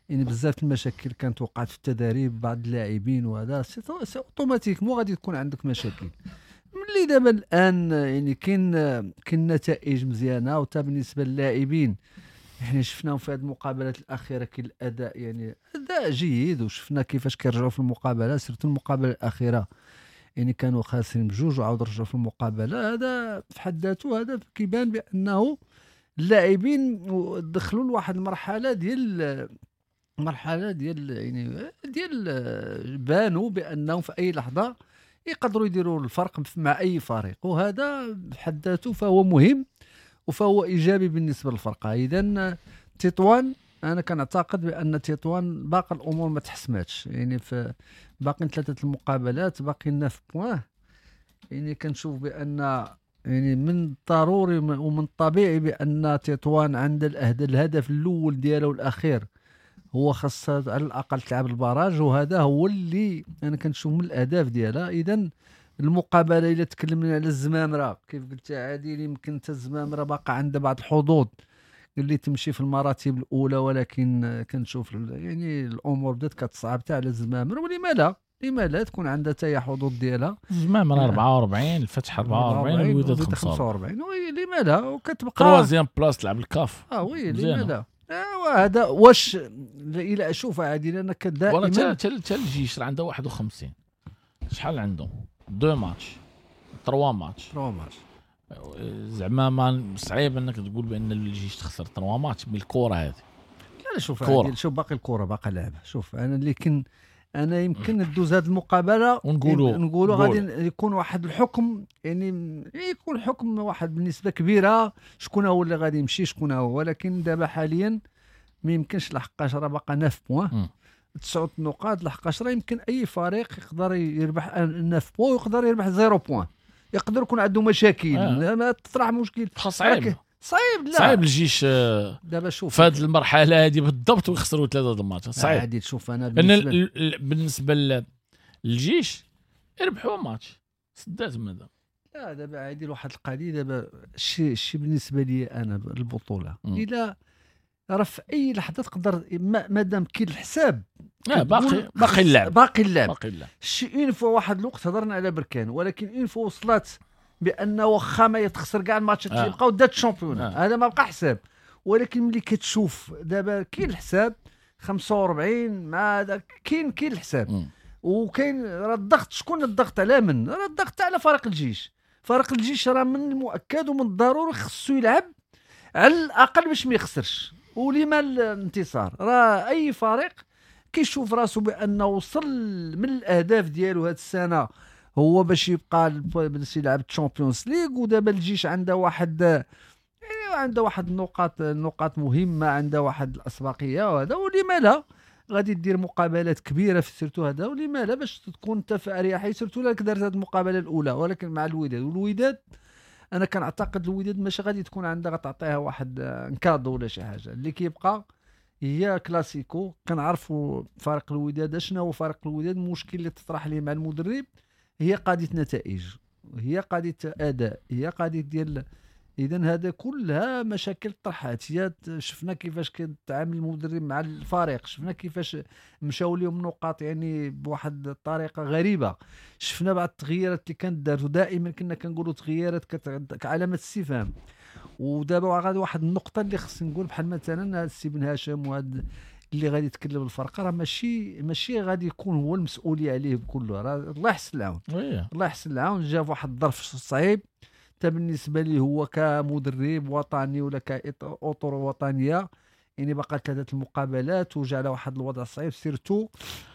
يعني بزاف المشاكل كانت وقعت في التدريب بعض اللاعبين، وهذا c'est automatiquement غادي تكون عندك مشاكل. واللي دابا الان يعني كاين نتائج مزيانه، وتا بالنسبة للاعبين احنا شفناهم في هذه المقابلات الاخيرة كاين الاداء يعني اداء جيد، وشفنا كيفاش كيرجعوا في المقابلة، surtout المقابلة الاخيرة يعني كانوا خاسرين بجوج وعاود رجعوا في المقابلة. هذا في حد ذاته هذا كيبان بانه اللاعبين دخلوا لواحد المرحلة ديال يعني ديال بانوا بانهم في اي لحظة يقدروا يديروا الفرق مع اي فريق، وهذا بحد ذاته فهو مهم وفهو ايجابي بالنسبة للفرقة. اذا تطوان انا كنعتقد بان تطوان باقي الامور ما تحسماتش، يعني في باقي 3 المقابلات، باقي 9 points، يعني كنشوف بان يعني من الضروري ومن الطبيعي بان تطوان عند الهدف الاول ديالو الاخير هو خاصها على الاقل تلعب ال barrage، وهذا هو اللي انا كنشوف من الاهداف ديالها. اذا المقابلة الا تكلمنا على الزمامره كيف قلت عادل، يمكن حتى الزمامره باقا عندها بعض الحظوظ اللي تمشي في المراتب الاولى، ولكن كنشوف يعني الامور بدات كتصعب حتى على الزمامره، ولما لا لما لا تكون عندها حتى هي حظوظ ديالها. الزمامره 44، الفتح 44، والوداد 45، oui لما لا، وكتبقى troisième place تلعب الكاف. oui لما لا. هذا واش الى اشوف عادل انا كدائما ولا حتى الجيش راه عنده 51، شحال عندهم؟ 2 ماتش 3 ماتش 3 ماتش، زعما ما صعيب انك تقول بان الجيش تخسر 3 ماتش بالكرة هذه. لا شوف عادل، شوف باقي الكره باقي لعبه. شوف انا اللي كن انا يمكن ندوز هذه المقابلة ونقولوا غادي يكون واحد الحكم، يعني يكون حكم واحد بالنسبة كبيرة شكون هو اللي غادي يمشي شكون هو، ولكن دابا حاليا ما يمكنش، لحقاش راه باقا 9 points 9 نقاط، لحقاش راه يمكن اي فريق يقدر يربح 9 points ويقدر يربح 0 point، يقدر يكون عنده مشاكل. ما تطرح مشكل صعيب صعيب، لا صعيب الجيش دابا شوف في هذه المرحلة هذه بالضبط ويخسروا 3 الماتش صعيب. عادي شوف انا بالنسبة للجيش يربحوا ماتش سدات ماذا. لا دابا عادي واحد القضية دابا الشيء بالنسبة لي انا البطولة الى راه في اي لحظة تقدر مادام كاين الحساب باقي اللعب باقي اللعب شي une fois واحد الوقت هضرنا على بركان، ولكن une fois وصلت بان واخا ما يتخسر كاع الماتشات اللي بقاو دات ال championnat هذا ما بقى حساب. ولكن ملي كتشوف دابا كاين الحساب 45 مع هذا كاين الحساب وكاين راه الضغط. شكون الضغط على من؟ راه الضغط على فريق الجيش. فريق الجيش راه من المؤكد ومن الضروري خصو يلعب على الاقل باش ما يخسرش، ولما الانتصار راه اي فريق كيشوف راسو بانه وصل من الاهداف ديالو هذه السنة هو باش يبقى باش يلعب الشامبيونز ليغ. ودابا الجيش عنده واحد يعني عنده واحد النقاط مهمة، عنده واحد الاسبقيه وهذا، ولما لا غادي دير مقابلات كبيرة في surtout هذا، ولما لا باش تكون انت في اريحية surtout لك دارت هذه المقابلة الاولى. ولكن مع الوداد، والوداد انا كنعتقد الوداد ماشي غادي تكون عندها غتعطيها واحد cadeau ولا شي حاجة. اللي كيبقى هي كلاسيكو، كنعرفوا فريق الوداد شنو هو فريق الوداد. المشكل اللي تطرح ليه مع المدرب هي قضية نتائج، هي قضية اداء، هي قضية ديال اذا هذا كلها مشاكل طرحات. هي شفنا كيفاش كيتعامل المدرب مع الفريق، شفنا كيفاش مشاو لهم نقاط يعني بواحد الطريقة غريبة، شفنا بعض التغييرات اللي كانت دارت، ودائما كنا كنقولوا تغييرات كعلامة استفهام. ودابا غادي واحد النقطة اللي خصني نقول بحال مثلا السي بن هاشم وهذا اللي غادي يتكلم الفرقة راه ماشي غادي يكون هو المسؤولية عليه بكله، راه الله يحسن العون. الله يحسن العون، جا في واحد الظرف صعيب حتى بالنسبة لي هو كمدرب وطني ولا كاطر وطنية، يعني بقى 3 المقابلات وجا على واحد الوضع صعيب surtout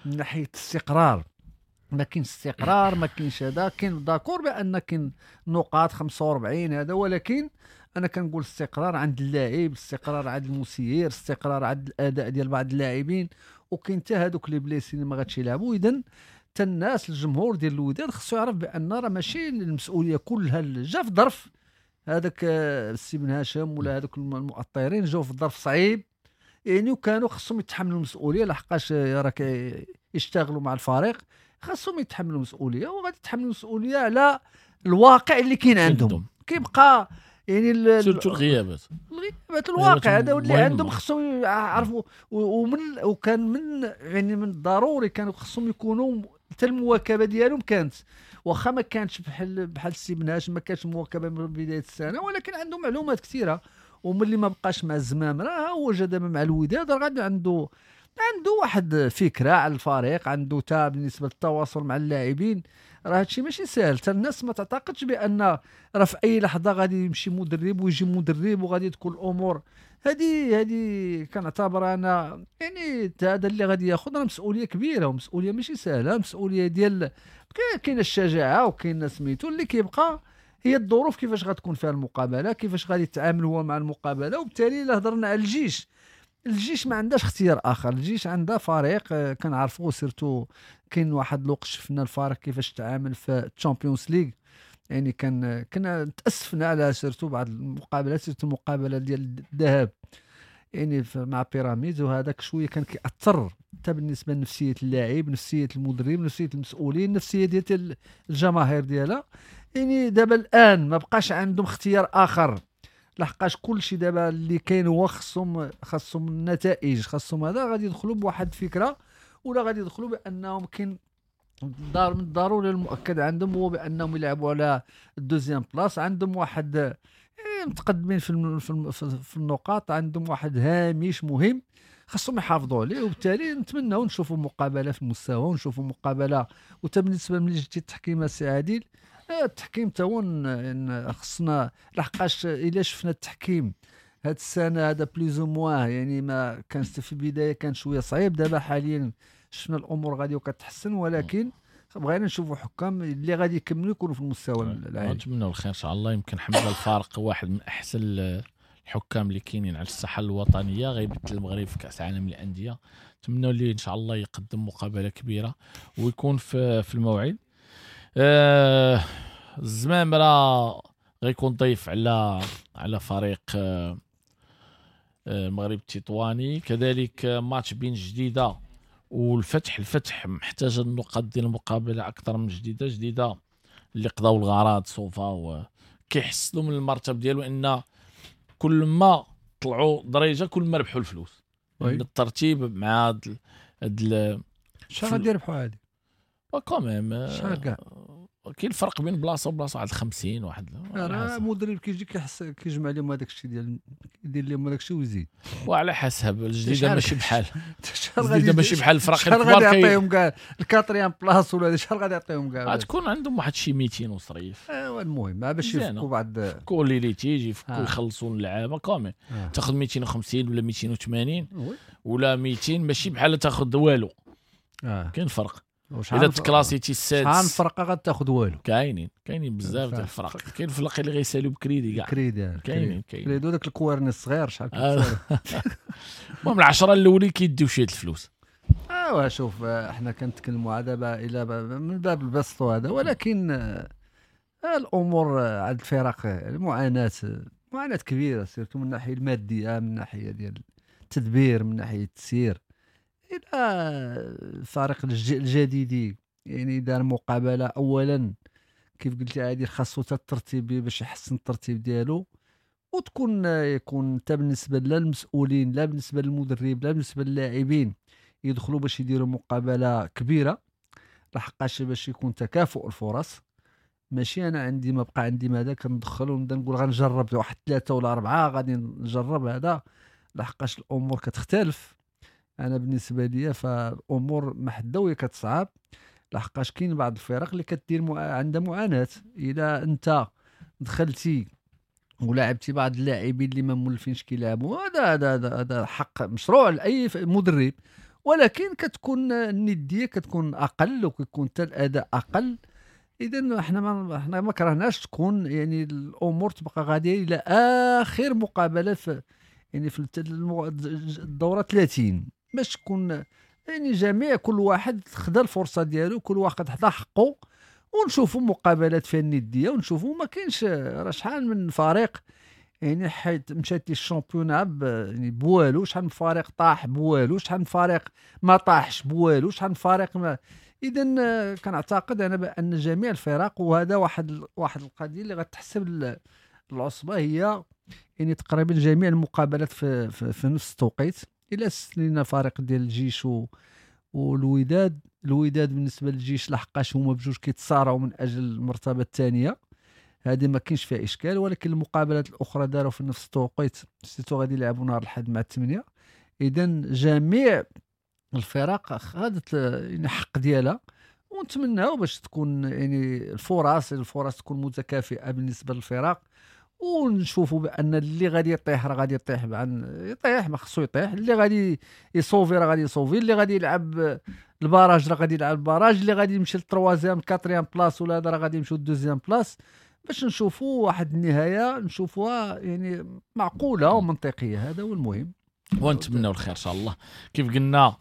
من ناحية الاستقرار. ما كاينش استقرار، ما كاينش هذا، كاين d'accord بان كاين نقاط 45 هذا، ولكن انا كنقول استقرار عند اللاعب، استقرار عند المسير، استقرار عند الاداء ديال بعض اللاعبين، وكاين حتى هذوك les blessés اللي ما غاديش يلعبوا. اذا حتى الناس الجمهور ديال الوداد خصو يعرف بان راه ماشي المسؤولية كلها جا في ظرف هذاك السي بن هاشم ولا هذوك المؤطرين جاو في ظرف صعيب يعني، وكانوا خصهم يتحملوا المسؤولية لحقاش راه يشتغلوا مع الفريق، خصهم يتحملوا المسؤولية وغادي يتحملوا المسؤولية على الواقع اللي كاين عندهم. كيبقى يعني surtout الغيابات الواقع هذا واللي عندهم خصهم يعرفوا، ومن وكان من يعني من الضروري كانوا خصهم يكونوا حتى المواكبه ديالهم كانت، واخا ما كانتش بحال السي بن هاشم، ما كانتش مواكبة من بداية السنة، ولكن عنده معلومات كثيرة. وملي ما بقاش مع الزمام راه هو جا دابا مع الوداد، راه غادي عنده واحد فكرة على الفريق، عنده تا بالنسبة للتواصل مع اللاعبين. راه هادشي ماشي ساهل، حتى الناس ما تعتقدش بان راه في اي لحظة غادي يمشي مدرب ويجي مدرب وغادي تكون الامور هذه. كنعتبر انا يعني هذا اللي غادي ياخذ راه مسؤولية كبيرة، ومسؤولية ماشي سهلة، مسؤولية ديال كاين الشجاعة وكاين سميتو اللي كيبقى هي الظروف كيفاش غتكون فيها المقابلة، كيفاش غادي يتعامل هو مع المقابلة. وبالتالي الا هضرنا على الجيش، الجيش ما عندهاش اختيار اخر، الجيش عندها فريق كنعرفوه، surtout كاين واحد الوقت شفنا الفريق كيفاش تعامل في ال Champions League، يعني كنا تاسفنا على surtout بعض المقابلات، surtout المقابلة ديال الذهاب يعني مع بيراميدز، وهذاك شوية كان كيأثر حتى بالنسبة لنفسيه اللاعب، نفسية المدرب، نفسية المسؤولين، نفسية ديال الجماهير ديالها. يعني دابا الان ما بقاش عندهم اختيار اخر، لحقاش كلشي دابا اللي كاين هو خصهم النتائج، خصهم هذا. غادي يدخلوا بواحد الفكرة، ولا غادي يدخلوا بانهم كاين من الضروري المؤكد عندهم هو بانهم يلعبوا على ال deuxième place، عندهم واحد يعني متقدمين في النقاط، عندهم واحد هامش مهم خصهم يحافظوا عليه. وبالتالي نتمناو نشوفوا مقابله في المستوى، ونشوفوا مقابله. وتا بالنسبة ملي جبتي التحكيم السي عادل، التحكيم تا هو خصنا، لحقاش الا شفنا التحكيم هاد السنة هذا plus ou moins، يعني ما كانش في البداية كان شوية صعيب، دابا حاليا شفنا الامور غادي وكتحسن، ولكن بغينا نشوفوا حكام اللي غادي يكملوا يكونوا في المستوى العالي. نتمنوا الخير ان شاء الله. يمكن حمزة الفارق واحد من احسن الحكام اللي كاينين على الساحة الوطنية، غيبدل المغرب في كاس العالم للاندية. نتمنوا ليه ان شاء الله يقدم مقابله كبيرة ويكون في الموعد. الزمام راه غيكون ضيف على فريق المغرب التطواني، كذلك ماتش بين جديدة والفتح. الفتح محتاج النقاط ديال المقابلة اكثر من جديدة اللي قضاو الغرض صوفا، وكيحسنوا من المرتب ديالو ان كل ما طلعوا درجه كل ما ربحوا الفلوس. الترتيب مع هاد شحال غادي يربحوا هادي quand même شحال كاع كاين الفرق بين بلاصة وبلاصه، واحد 50 واحد. راه مدرب كيجي كيحس كيجمع لهم هذاك الشيء ديال يدير لهم هذاك الشيء ويزيد، وعلى حسب الجديدة ماشي بحال الجديدة ماشي بحال الفرق الكبار. شحال غادي يعطيهم كاع ال quatrième place ولا شحال غادي يعطيهم كاع؟ غتكون عندهم واحد شي 200 وصريف. ايوا المهم باش يفكوا بعض يفكوا les litiges، يفكوا يخلصوا اللعابه quand même. تاخذ 250 ولا 280 ولا 200 ماشي بحال تاخذ والو. كاين فرق. اذا تكلاسيتي السادس شحال فرقه غتاخذ والو؟ كاينين بزاف ديال الفرق. كاين الفرق اللي غيسالوا بكريدي كاع، كريدي كاينين كريدي داك الكوارني الصغير شحال كيتسال. المهم العشرة الاولين كيديو شي الفلوس. ايوا شوف احنا كنتكلموا دابا الى من باب البسط هذا، ولكن الامور عند الفرق المعاناة معاناة كبيرة، surtout من الناحية المادية، من الناحية ديال التدبير، من ناحية التسيير. الى الفريق الجديدي يعني دار مقابله اولا كيف قلت عادي خاصو حتى الترتيب باش يحسن الترتيب ديالو، وتكون يكون حتى بالنسبة لا للمسؤولين لا بالنسبة للمدرب لا بالنسبة للاعبين يدخلوا باش يديروا مقابله كبيرة، لحقاش باش يكون تكافؤ الفرص. ماشي انا عندي ما بقى عندي ماذا كندخل ونبدا نقول غنجرب واحد 3 ولا 4 غادي نجرب هذا، لحقاش الامور كتختلف. انا بالنسبة لي فالامور محدويه كتصعب، لحقاش كاين بعض الفرق اللي كدير عندها معاناة. الا انت دخلتي ولعبتي بعض اللاعبين اللي ما مولفينش كيلعبوا، هذا هذا هذا حق مشروع لاي مدرب، ولكن كتكون الندية كتكون اقل وكيكون حتى الاداء اقل. اذا احنا ما كرهناش تكون يعني الامور تبقى غادية الى اخر مقابله في يعني في الدورة 30، باش تكون يعني جميع كل واحد خدا الفرصة ديالو، كل واحد خدا حقه، ونشوفوا مقابلات فيها الندية، ونشوفوا ما كاينش راه شحال من فريق يعني حيت مشات لي ال championnat يعني بوالو، شحال من فريق طاح بوالو، شحال من فريق ما طاحش بوالو، شحال من فريق ما. اذا كنعتقد انا بان جميع الفرق، وهذا واحد القضية اللي غتحسب العصبة، هي يعني تقريبا جميع المقابلات في, في, في نفس التوقيت. الى استثنينا فريق ديال الجيش والوداد. الوداد بالنسبة للجيش لحقاش هما بجوج كيتصارعوا من اجل المرتبة الثانية، هذه ما كاينش فيها اشكال. ولكن المقابلات الاخرى داروا في نفس التوقيت، surtout غادي يلعبوا نهار الاحد مع 8. اذا جميع الفرق خدت يعني حق ديالها، ونتمناو باش تكون يعني الفرص تكون متكافئة بالنسبة للفرق، ونشوفوا بان اللي غادي يطيح راه غادي يطيح، يطيح ما خصو يطيح، اللي غادي يصوفي راه غادي يصوفي، اللي غادي يلعب ال barrage راه غادي يلعب ال barrage، اللي غادي يمشي لل troisième quatrième place ولا هذا راه غادي يمشي لل deuxième place، باش نشوفوا واحد النهاية نشوفوها يعني معقولة ومنطقيه. هذا هو المهم، ونتمناو الخير ان شاء الله. كيف قلنا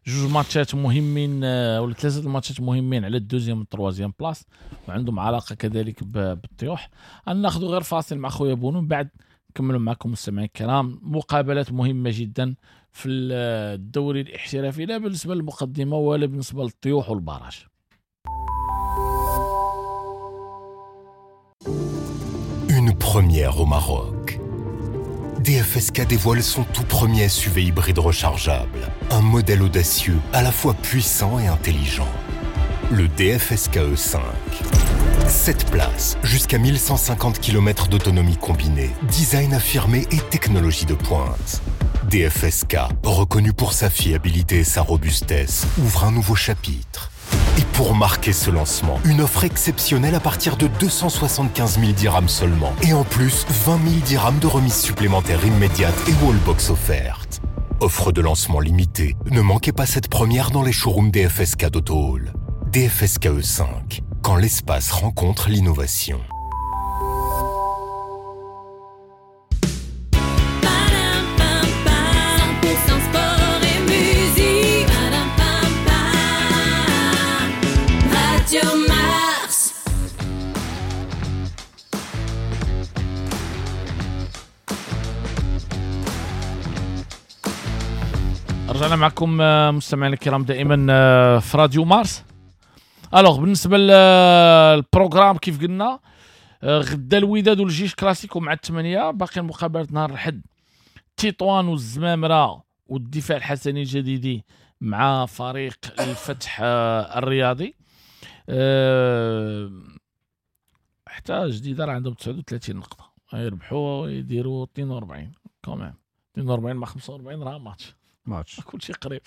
جوج ماتشات مهمين ولا ثلاثة الماتشات مهمين على ال deuxième وال troisième place، وعندهم علاقة كذلك بالطيوح. ناخذ غير فاصل مع خويا بونو، من بعد نكملوا معكم مستمعين الكرام مقابلات مهمة جدا في الدوري الاحترافي، لا بالنسبة للمقدمة ولا بالنسبة للطيوح وال barrage. Une première au Maroc. DFSK dévoile son tout premier SUV hybride rechargeable. Un modèle audacieux, à la fois puissant et intelligent. Le DFSK E5. 7 places, jusqu'à 1150 km d'autonomie combinée, design affirmé et technologie de pointe. DFSK, reconnu pour sa fiabilité et sa robustesse, ouvre un nouveau chapitre. Et pour marquer ce lancement, une offre exceptionnelle à partir de 275 000 dirhams seulement. Et en plus, 20 000 dirhams de remise supplémentaire immédiate et wallbox offerte. Offre de lancement limitée. Ne manquez pas cette première dans les showrooms DFSK d'Auto Hall. DFSK E5, quand l'espace rencontre l'innovation. رجعنا معكم مستمعينا الكرام دائما في راديو مارس. Alors بالنسبة لل programme كيف قلنا، غدا الوداد والجيش كلاسيكو مع 8، باقي المقابلات نهار الاحد تطوان والزمامره والدفاع الحسني الجديدي مع فريق الفتح الرياضي. حتى جديدة راه عندهم 39 نقطة، يربحوا يديروا 42 quand même، 42 مع 45 راه ماتش كلشي قريب.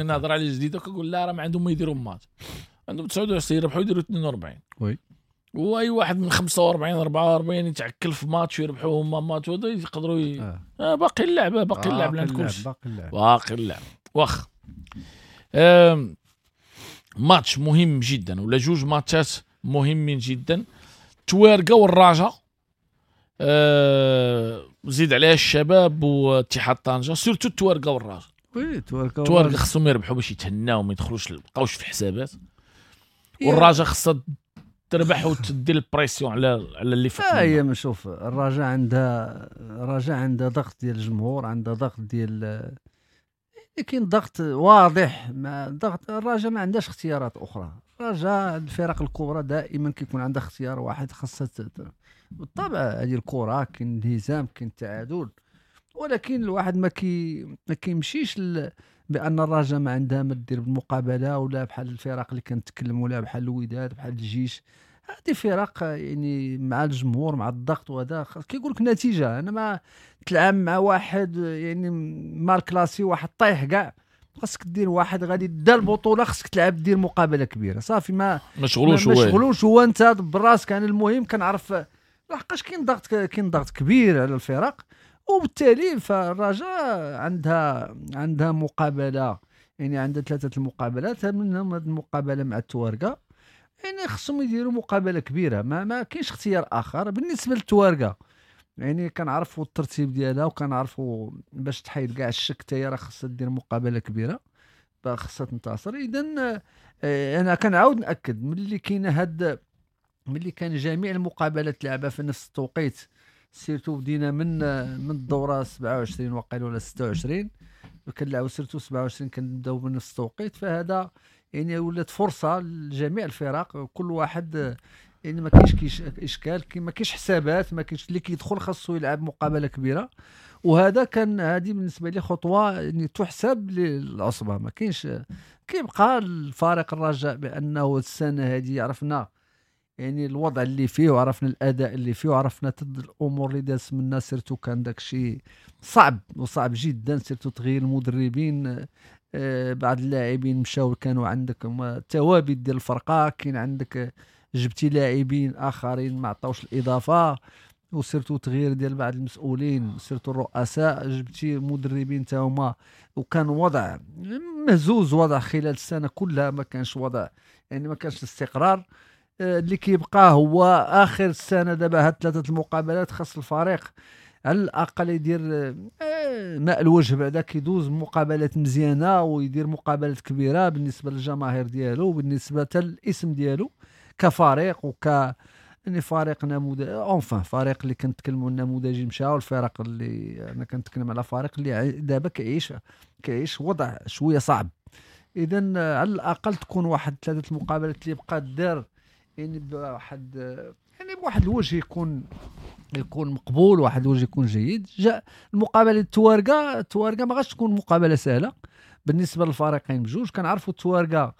نهضر على الجديدة كنقول لا راه ما عندهم ما يديروا ماتش، عندهم 29 يربحوا يديروا 42. oui، واي واحد من 45 44 يتعكل في ماتش ويربحوا هما ماتش وهذا يقدروا باقي اللعبة، باقي اللعب لان كلشي باقي اللعب. واخ ماتش مهم جدا ولا جوج ماتشات مهمين جدا، توارقه والرجاء، زيد عليها الشباب واتحاد طنجه، surtout التوارقه والرجاء. oui التوارقه خصهم يربحوا باش يتهناو ما يدخلوش بقاوش في الحسابات، والرجاء خصها تربح وتدير ال pression على اللي فوق. هي شوف الرجاء عندها ضغط ديال الجمهور، عندها ضغط ديال، كاين ضغط واضح. ما ضغط الرجاء ما عندهاش اختيارات اخرى. الرجاء الفرق الكبرى دائما كيكون عندها اختيار واحد، خاصها بالطبع هذه الكره كاين انهزام كاين تعادل، ولكن الواحد ما كيمشيش بان الرجاء ما عندها ما دير بالمقابلة، ولا بحال الفرق اللي كنتكلموا ولا بحال الوداد بحال الجيش. هذه فرق يعني مع الجمهور مع الضغط وهذا كيقول لك نتيجة. انا ما تلعب مع واحد يعني mal classé، واحد طايح كاع، خاصك دير واحد غادي دا البطولة، خاصك تلعب دير مقابله كبيرة صافي. ما مشغولوش هو انت براسك. انا المهم كنعرف لحقاش كاين ضغط كبير على الفرق، وبالتالي فالرجاء عندها مقابله، يعني عندها 3 المقابلات، منهم هذه المقابلة مع التوارقه، يعني خصهم يديروا مقابله كبيرة، ما كاينش اختيار اخر. بالنسبة للتوارقه يعني كنعرفوا الترتيب ديالها وكنعرفوا باش تحيد كاع الشك، حتى هي راه خصها دير مقابله كبيرة خصها تنتصر. اذا انا كنعاود ناكد ملي كاينه هاد، ملي كان جميع المقابلات لعبها في نفس التوقيت، surtout بدينا من الدورة 27 وقيل ولا 26 كنلعبوا surtout 27 كنبداو بنفس التوقيت، فهذا يعني ولات فرصة لجميع الفرق، كل واحد يعني ما كاينش اشكال، ما كاينش حسابات، ما كاينش اللي كيدخل خاصو يلعب مقابله كبيرة. وهذا كان هذه بالنسبة لي خطوة يعني تحسب للعصبه. ما كاينش، كيبقى الفريق الرجاء بانه السنة هذه عرفنا يعني الوضع اللي فيه، وعرفنا الاداء اللي فيه، وعرفنا الامور اللي داز منا، surtout كان داك الشيء صعب وصعب جدا، surtout تغيير المدربين، بعض اللاعبين مشاو، كانوا عندك الثوابت ديال الفرقة، كاين عندك جبتي لاعبين اخرين ما عطاوش الاضافة، و surtout تغيير ديال بعض المسؤولين، surtout الرؤساء، جبتي مدربين تا هما، وكان وضع مهزوز، وضع خلال السنة كلها ما كانش وضع، يعني ما كانش الاستقرار. اللي كيبقى هو اخر السنة دابا هاد 3 المقابلات خاص الفريق على الاقل يدير ماء الوجه بعدا، كيدوز مقابلات مزيانه ويدير مقابلات كبيرة بالنسبة للجماهير ديالو وبالنسبة حتى للاسم ديالو كفريق وك يعني فريق نموذج، enfin فريق اللي كنتكلموا النموذجي مشاو، الفرق اللي انا كنتكلم على فريق اللي دابا كيعيش وضع شوية صعب. اذا على الاقل تكون واحد 3 المقابلات اللي بقات دار يعني بواحد يعني بواحد الوجه يكون مقبول، واحد الوجه يكون جيد. جاء المقابلة التوارقه ما غاش تكون مقابله سهلة بالنسبة للفريقين بجوج. كنعرفوا التوارقه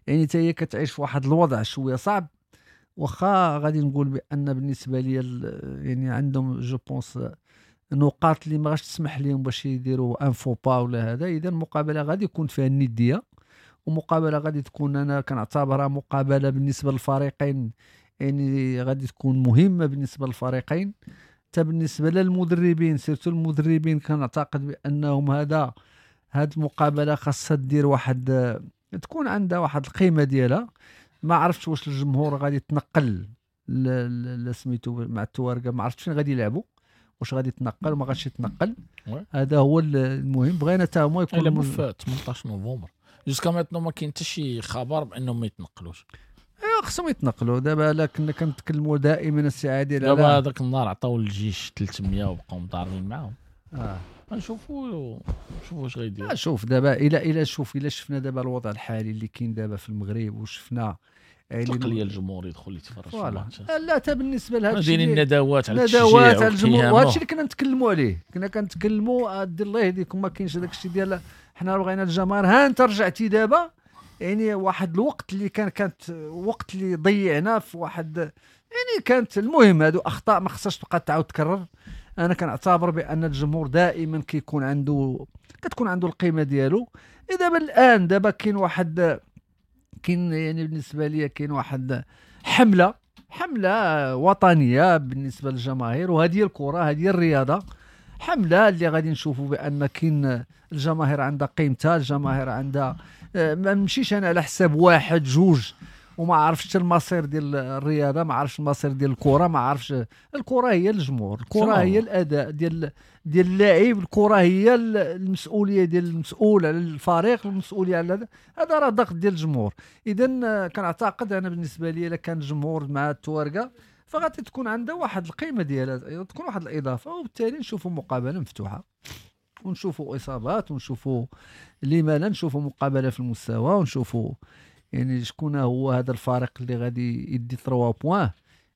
يعني حتى هي كتعيش في واحد الوضع شوية صعب، واخا غادي نقول بان بالنسبة لي يعني عندهم je pense نقاط اللي ما غاش تسمح لهم باش يديروا un faux pas ولا هذا. اذا المقابلة غادي يكون فيها الندية، ومقابله غادي تكون انا كنعتبرها مقابله بالنسبة للفريقين يعني غادي تكون مهمة بالنسبة للفريقين، حتى بالنسبة للمدربين، surtout المدربين كنعتقد بانهم هاد المقابلة خاصها دير واحد، تكون عندها واحد القيمة ديالها. ما عرفتش واش الجمهور غادي يتنقل سميتو مع التوارقه، ما عرفتش فين غادي يلعبوا، واش غادي يتنقل وما غاديش يتنقل. هذا هو المهم، بغينا حتى هما يكونوا في 18 نوفمبر. jusqu'à maintenant ما كاين حتى شي خبر بانهم ما يتنقلوش. ايوا خصهم يتنقلوا دابا، لا كنا كنتكلموا دائما السي عادل دابا هذاك النهار عطاو الجيش 300 وبقاو مضاربين معاهم. نشوفوا واش غيديروا. شوف دابا الى شوف الى شفنا دابا الوضع الحالي اللي كاين دابا في المغرب، وشفنا تقليه الجمهور يدخل يتفرج في الماتش. لا حتى بالنسبة لهذا الشيء دايرين الندوات على التشجيع، على الجمهور، وهذا الشيء اللي كنا نتكلموا عليه، كنا كنتكلموا دير الله يهديكم ما كاينش هذاك الشيء ديال حنا بغينا الجماهير. ها انت رجعتي دابا يعني واحد الوقت اللي كانت وقت اللي ضيعنا في واحد يعني كانت. المهم هادو اخطاء ما خصهاش تبقى تعاود تكرر. انا كنعتبر بان الجمهور دائما كيكون عنده كتكون عنده القيمة ديالو. دابا الان دابا كاين واحد، كاين يعني بالنسبة لي كاين واحد حمله وطنية بالنسبة للجماهير، وهذه الكره هذه الرياضة، حمله اللي غادي نشوفوا بان كاين الجماهير عندها قيمتها، الجماهير عندها ما نمشيش انا على حساب واحد جوج وما عرفتش المصير ديال الرياضة، ما عرفتش المصير ديال الكره، ما عرفتش. الكره هي الجمهور، الكره هي الاداء ديال اللاعب، الكره هي المسؤولية ديال المسؤول على الفريق، المسؤولية على هذا راه ضغط ديال الجمهور. اذا كنعتقد انا بالنسبة لي الا كان الجمهور مع التوارقه فغادي تكون عندها واحد القيمة ديالها، تكون واحد الاضافة، وبالتالي نشوفوا مقابله مفتوحة ونشوفوا اصابات ونشوفوا لما لا، نشوفوا مقابله في المستوى، ونشوفوا يعني شكون هو هذا الفريق اللي غادي يدي 3 points،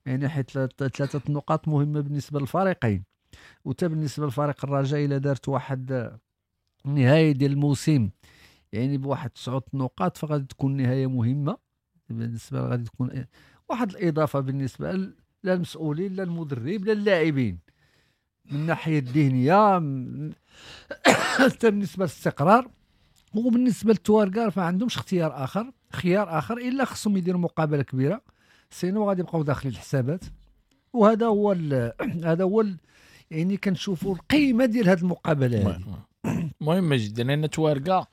يعني حيت 3 نقاط مهمة بالنسبة للفريقين. وتا بالنسبة للفريق الرجاء الا دارت واحد النهاية ديال الموسم يعني بواحد 9 نقاط فغادي تكون نهاية مهمة بالنسبة، غادي تكون واحد الاضافة بالنسبة لا المسؤولين لا المدرب لا اللاعبين من الناحية الذهنية، حتى بالنسبة للاستقرار. وبالنسبة للتوارقه فما عندهمش اختيار اخر، خيار اخر الا خصهم يديروا مقابله كبيرة، sinon غادي يبقاو داخلين الحسابات. وهذا هو يعني كنشوفوا القيمة ديال هذه المقابلة هذه مهمة جدا، لان التوارقه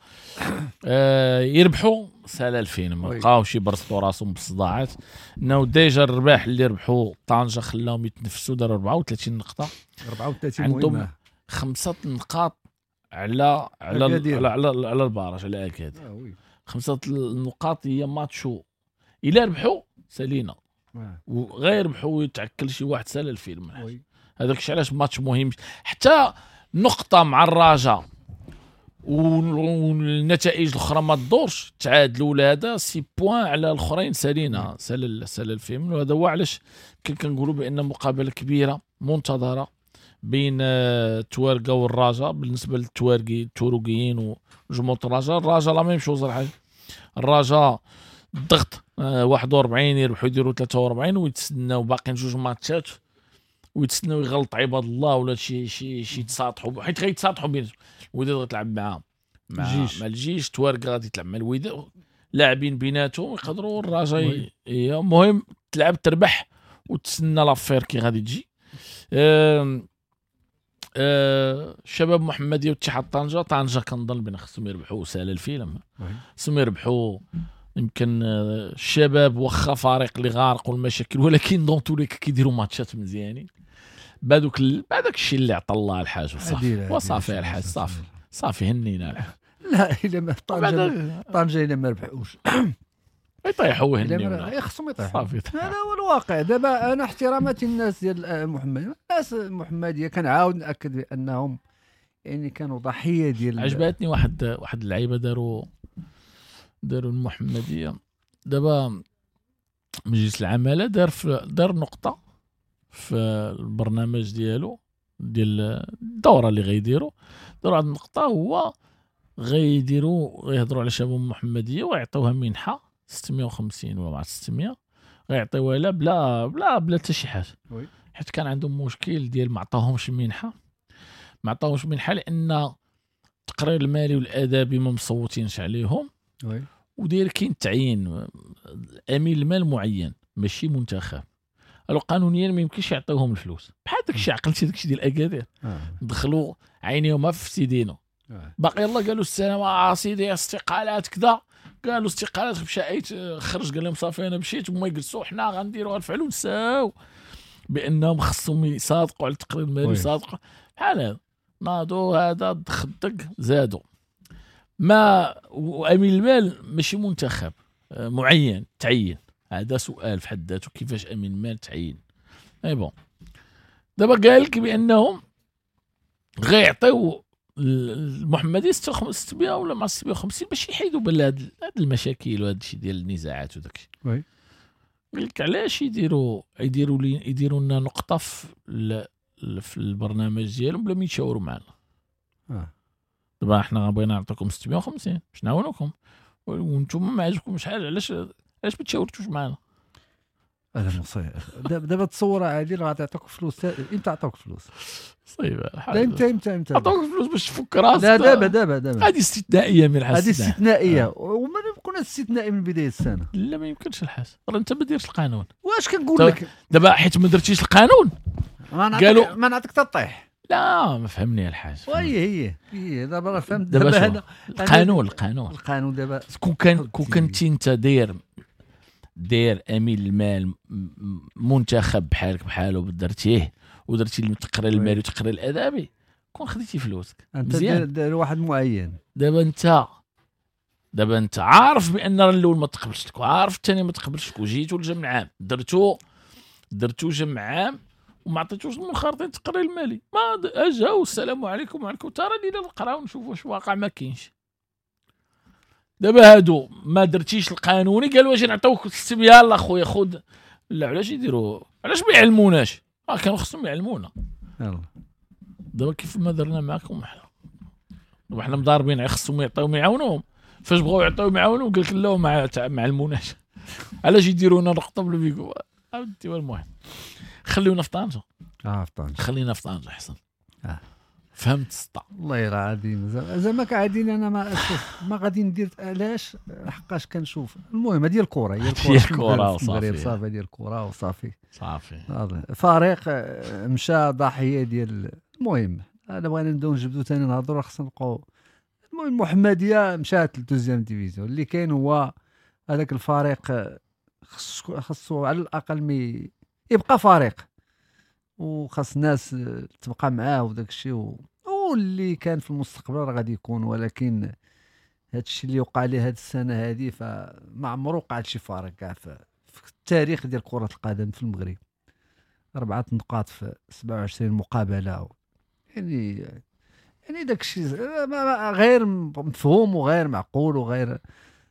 يربحوا سهل 2000 ما بقاوش يبرزطوا راسهم بالصداعات. انه déjà الرباح اللي ربحوا طنجه خلاهم يتنفسوا، داروا 34 نقطة، 34 عندهم مهمة، 5 نقاط على على على على, على ال barrage على اكادير. 5 النقاط هي ماتشو الا ربحوا سالينا، وغير ربحوا يتعكل شي واحد سال الفيلم. هذاك الشيء علاش ماتش مهم، حتى نقطة مع الرجاء والنتائج الاخرى ما تدورش، تعادلوا ولا هذا six points على الاخرين سالينا سال الفيلم. وهذا هو علاش كنقولوا بان مقابله كبيرة منتظره بين التوارقه والرجاء. بالنسبة للتوارقي التوروقيين وجمهور الرجاء، الرجاء la même chose. الحاج الرجاء الضغط 41 يربحوا يديروا 43 ويتسناو باقيين جوج ماتشات ويتسناو يغلط عباد الله ولا شي شي شي يتساطحوا، حيت غيتساطحوا بيناتهم. الوداد غتلعب مع مع الجيش، توارق غادي تلعب مع الوداد، لاعبين بيناتهم يقدروا الرجاء. المهم تلعب تربح وتسنى l'affaire كي غادي تجي. الشباب محمديه واتحاد طنجه، طنجه كنظن بان خصهم يربحوا سهل الفيلم، خصهم يربحوا. يمكن الشباب واخا فريق اللي غارق والمشاكل، ولكن dans tous les cas كيديروا ماتشات مزيانين بهذوك بهذاك الشيء اللي عطى الله الحاج وصافي، وصافي الحاج صافي صافي هنينا الحاج. لا الا ما طنجه الا ما ربحوش يطيحوا ويهنيونا، خصهم يطيحوا. هذا هو الواقع دابا. انا احتراماتي للناس ديال المحمدية، الناس المحمدية كنعاود ناكد بانهم يعني كانوا ضحية ديال. عجبتني واحد اللعيبة داروا المحمدية. دابا مجلس العمالة دار نقطة في البرنامج ديالو ديال الدورة اللي غيديروا، داروا واحد النقطة هو غيديروا غيهضروا على شباب المحمدية ويعطوها منحه 650 ولا مع 600 غيعطيوها لها بلا بلا بلا حتى شي حاجة، حيت كان عندهم مشكل ديال ما عطاهمش منحه، ما عطاهمش منحه لان التقرير المالي والادبي ما مصوتينش عليهم، وداير كاين تعيين امين المال معين ماشي منتخب، الو قانونيا ما يمكنش يعطيوهم الفلوس. بحال داكشي عقلتي داكشي ديال اكادير، دخلوا عينيهم في سيدينو باقي يلاه قالوا السلام سيدي استقالات كذا، قالوا استقالات مشى ايت خرج قال لهم صافي انا مشيت، هما يجلسوا حنا غنديروا الفعل ونساو بانهم خصهم يصادقوا على التقرير المالي، يصادقوا بحال هذا. ناضوا هذا دخدق زادوا ما وامين المال ماشي منتخب معين تعين، هذا سؤال في حد ذاته كيفاش امين المال تعين. mais bon دابا قال لك بانهم غيعطيو المحمدي 600 ولا مع 650 باش يحيدوا بال هاد المشاكل وهاد الشيء ديال النزاعات وداك الشيء. oui قال لك علاش يديروا لنا نقطة في البرنامج ديالهم بلا ما يتشاوروا معنا. دابا حنا بغينا نعطيكم 650 باش نعاونوكم وانتم ما عجبكمش شحال، علاش ما تشاورتوش معنا؟ هذا مصير. دابا تصور عادل غادي يعطوك فلوس، امتى عطوك فلوس؟ صيب لا امتى عطوك فلوس باش تفك راسك. لا دابا هذه استثنائية من الحاج، هذه استثنائية وما يكون استثنائي من بداية السنة. لا ما يمكنش الحاج، راه انت ما ديرش القانون. واش كنقول لك دابا حيت ما درتيش القانون قالوا ما نعطيك تطيح. لا ما فهمني الحاج. وي هي دابا راه فهمت دابا هذا القانون دابا كون كنتي انت داير امين المال منتخب بحالك بحالو درتيه ودرتي التقرير المالي والتقرير الادبي كون خديتي فلوسك انت داير واحد معين. دابا انت عارف بان الاول ما تقبلش لك وعارف الثاني ما تقبلش لك، وجيتو للجمع عام درتو جمع عام وما عطيتوش المنخرطين التقرير المالي، ما اجاو السلام عليكم وعليكم ترى لينا نقراو نشوفوا واش واقع ما كاينش. دابا هادو ما درتيش القانوني قالوا اجي نعطيوك 600 يلاه خويا خذ. لا علاش يديروا، علاش ما يعلموناش؟ كانوا خصهم يعلمونا. يلا دابا كيف ما درنا معكم حنا دابا حنا مضاربين خصهم يعطيوهم يعاونوهم، فاش بغاو يعطيوهم يعاونوهم قال لك لا ما علموناش. علاش يديروا لنا نقطة بلا بيكو؟ عاودتي. المهم خليونا في طنجه. في طنجه خلينا في طنجه احسن. فهمت السطا والله راه عادي زعما كعادين. انا ما ما غادي ندير علاش، حقاش كنشوف المهم هذه الكره، هي الكره وصافي، صافي ديال الكره وصافي صافي. فريق مشى ضحية ديال المهم. انا بغينا نبداو نجبدو ثاني نهضروا خصنا نبقاو. المهم المحمدية مشات لل deuxième division. اللي كاين هو هذاك الفريق خصو على الاقل يبقى فريق، وخاص الناس تبقى معاه وداك الشيء، واللي كان في المستقبل راه غادي يكون. ولكن هذا الشيء اللي وقع ليه هذه السنة هذه فما عمره وقع شي فريق كاع في التاريخ ديال كره القدم في المغرب. 4 نقاط في 27 مقابله، يعني داك الشيء غير مفهوم وغير معقول وغير.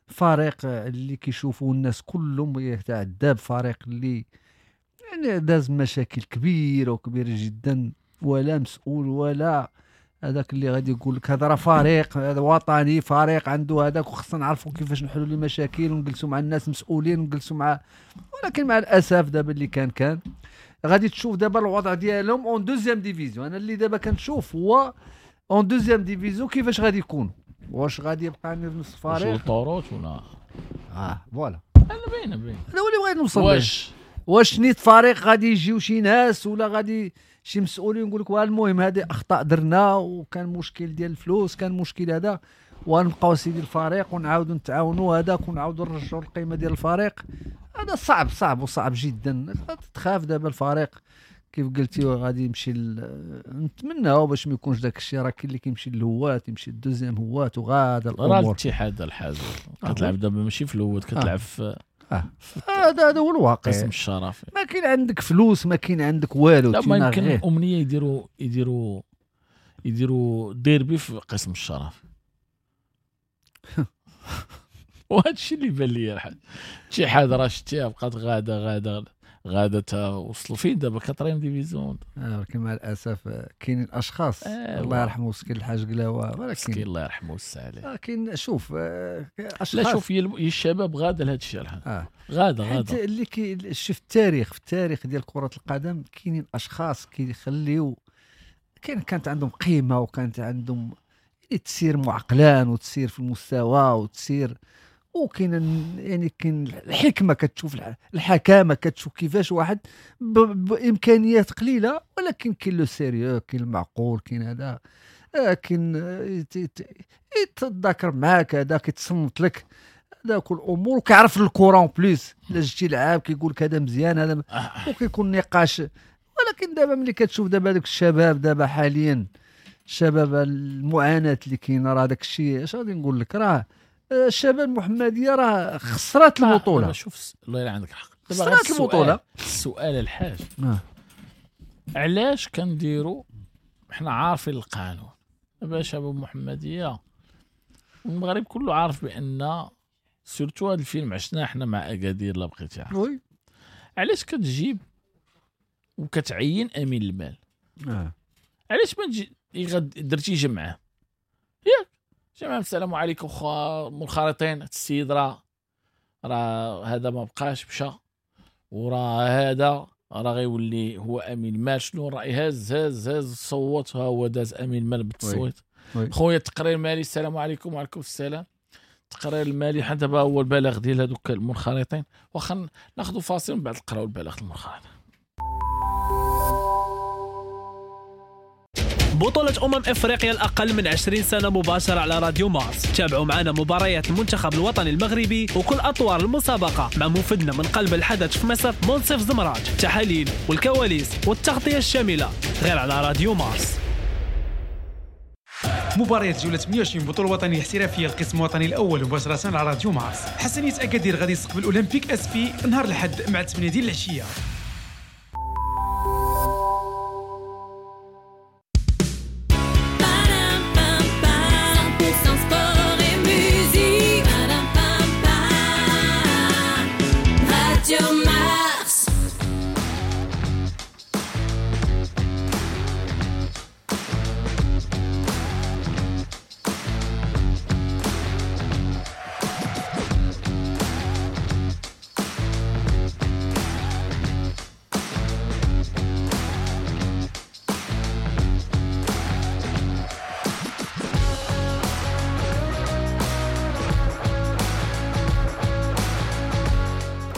فريق اللي كيشوفوا الناس كلهم يتعدى بفريق اللي يعني داز مشاكل كبيرة وكبيره جدا، ولا مسؤول ولا هذاك اللي غادي يقول لك هذا راه فريق، هذا وطني، فريق عنده هذاك، وخصنا نعرفوا كيفاش نحلوا المشاكل ونجلسوا مع الناس مسؤولين ونجلسوا مع. ولكن مع الاسف دابا اللي كان غادي تشوف دابا الوضع ديالهم en deuxième division. انا اللي دابا كنشوف هو en deuxième division كيفاش غادي يكون، واش غادي يبقى نفس الفريق واش طوروت ولا voilà. انا باينة هذا هو اللي بغيت نوصل واش نيت فريق غادي يجيو شي ناس ولا غادي شي مسؤولين يقول لك المهم هذه اخطاء درنا وكان مشكل ديال الفلوس، كان مشكل هذا، ونبقاو سيدي الفريق ونعاودوا نتعاونوا هذاك ونعاودوا نرجعوا القيمة ديال الفريق. هذا صعب صعب وصعب جدا. تخاف دابا الفريق كيف قلتي غادي يمشي نتمناو باش ما يكونش داك الشيء، راه كاين اللي كيمشي للهوات، يمشي لل deuxième هوات وغادا الامور. راه الاتحاد الحاجة كتلعب دابا ماشي في الهوات، كتلعب في هذا هو الواقع. قسم الشرف، ما كاين عندك فلوس، ما كاين عندك والو. لا ما يمكن امنية يديروا ديربي في قسم الشرف. وهذا الشيء اللي بان لي الحاج شي حاجة راه شتيها بقات غاده غاده تا وصلوا فين دابا quatrième division. ولكن مع الاسف كاينين اشخاص الله يرحمه مسكين الحاج قلاوه، ولكن مسكين الله يرحمه ويوسع عليه. كاين شوف اشخاص، لا شوف الشباب غاده لهذا الشيء الحاج. غاده اللي كي شوف التاريخ، في التاريخ ديال كره القدم كاينين اشخاص كيخليو كانت عندهم قيمة وكانت عندهم تسير معقلان وتسير في المستوى وتسير، وكاين يعني كاين الحكمة، كتشوف الحكامه، كتشوف كيفاش واحد بامكانيات قليله ولكن كاين le sérieux، كاين المعقول، كاين هذا، كاين يتذاكر معاك، هذا كيتصنت لك، هذا كل الامور، وكيعرف الكره en plus. الا جيتي لعاب كيقول لك هذا مزيان هذا، وكيكون نقاش. ولكن دابا ملي كتشوف دابا دوك الشباب دابا حاليا، الشباب المعاناة اللي كاينه، راه داك الشيء اش غادي نقول لك، راه الشباب المحمدية راه خسرات البطولة. شوف الله يلا عندك الحق، خسرات البطولة. السؤال الحاج علاش كنديروا حنا عارفين القانون دابا شباب المحمدية المغرب كله عارف بان surtout هذا الفيلم عشناه حنا مع اكادير لا بقيتي عارف. علاش كتجيب وكتعين امين المال؟ علاش ما تجي درتي جمعه ياك جماعة السلام عليكم خا منخرطين، السيد راه هذا ما بقاش مشى، وراه هذا راه غيولي هو امين مال. شنو الراي؟ هز هز هز صوت، ها هو داز امين مال بالتصويت. خويا التقرير المالي السلام عليكم. وعليكم السلام. التقرير المالي حتى دابا هو البلاغ ديال هذوك المنخرطين. واخا ناخذ فاصل من بعد نقراو البلاغ المنخرطين. بطولة افريقيا الأقل من 20 سنة مباشرة على راديو مارس. تابعوا معنا مباريات المنتخب الوطني المغربي وكل أطوار المسابقة مع مفدنا من قلب الحدث في مصر منصف زمراج، تحاليل والكواليس والتغطية الشاملة غير على راديو مارس. مباريات جولة 28 بطولة وطنية احترافية القسم الوطني الأول مباشرة على راديو مارس. حسنية أكادير غادي يستقبل أولمبيك أسفي نهار الأحد مع 8 ديال العشية.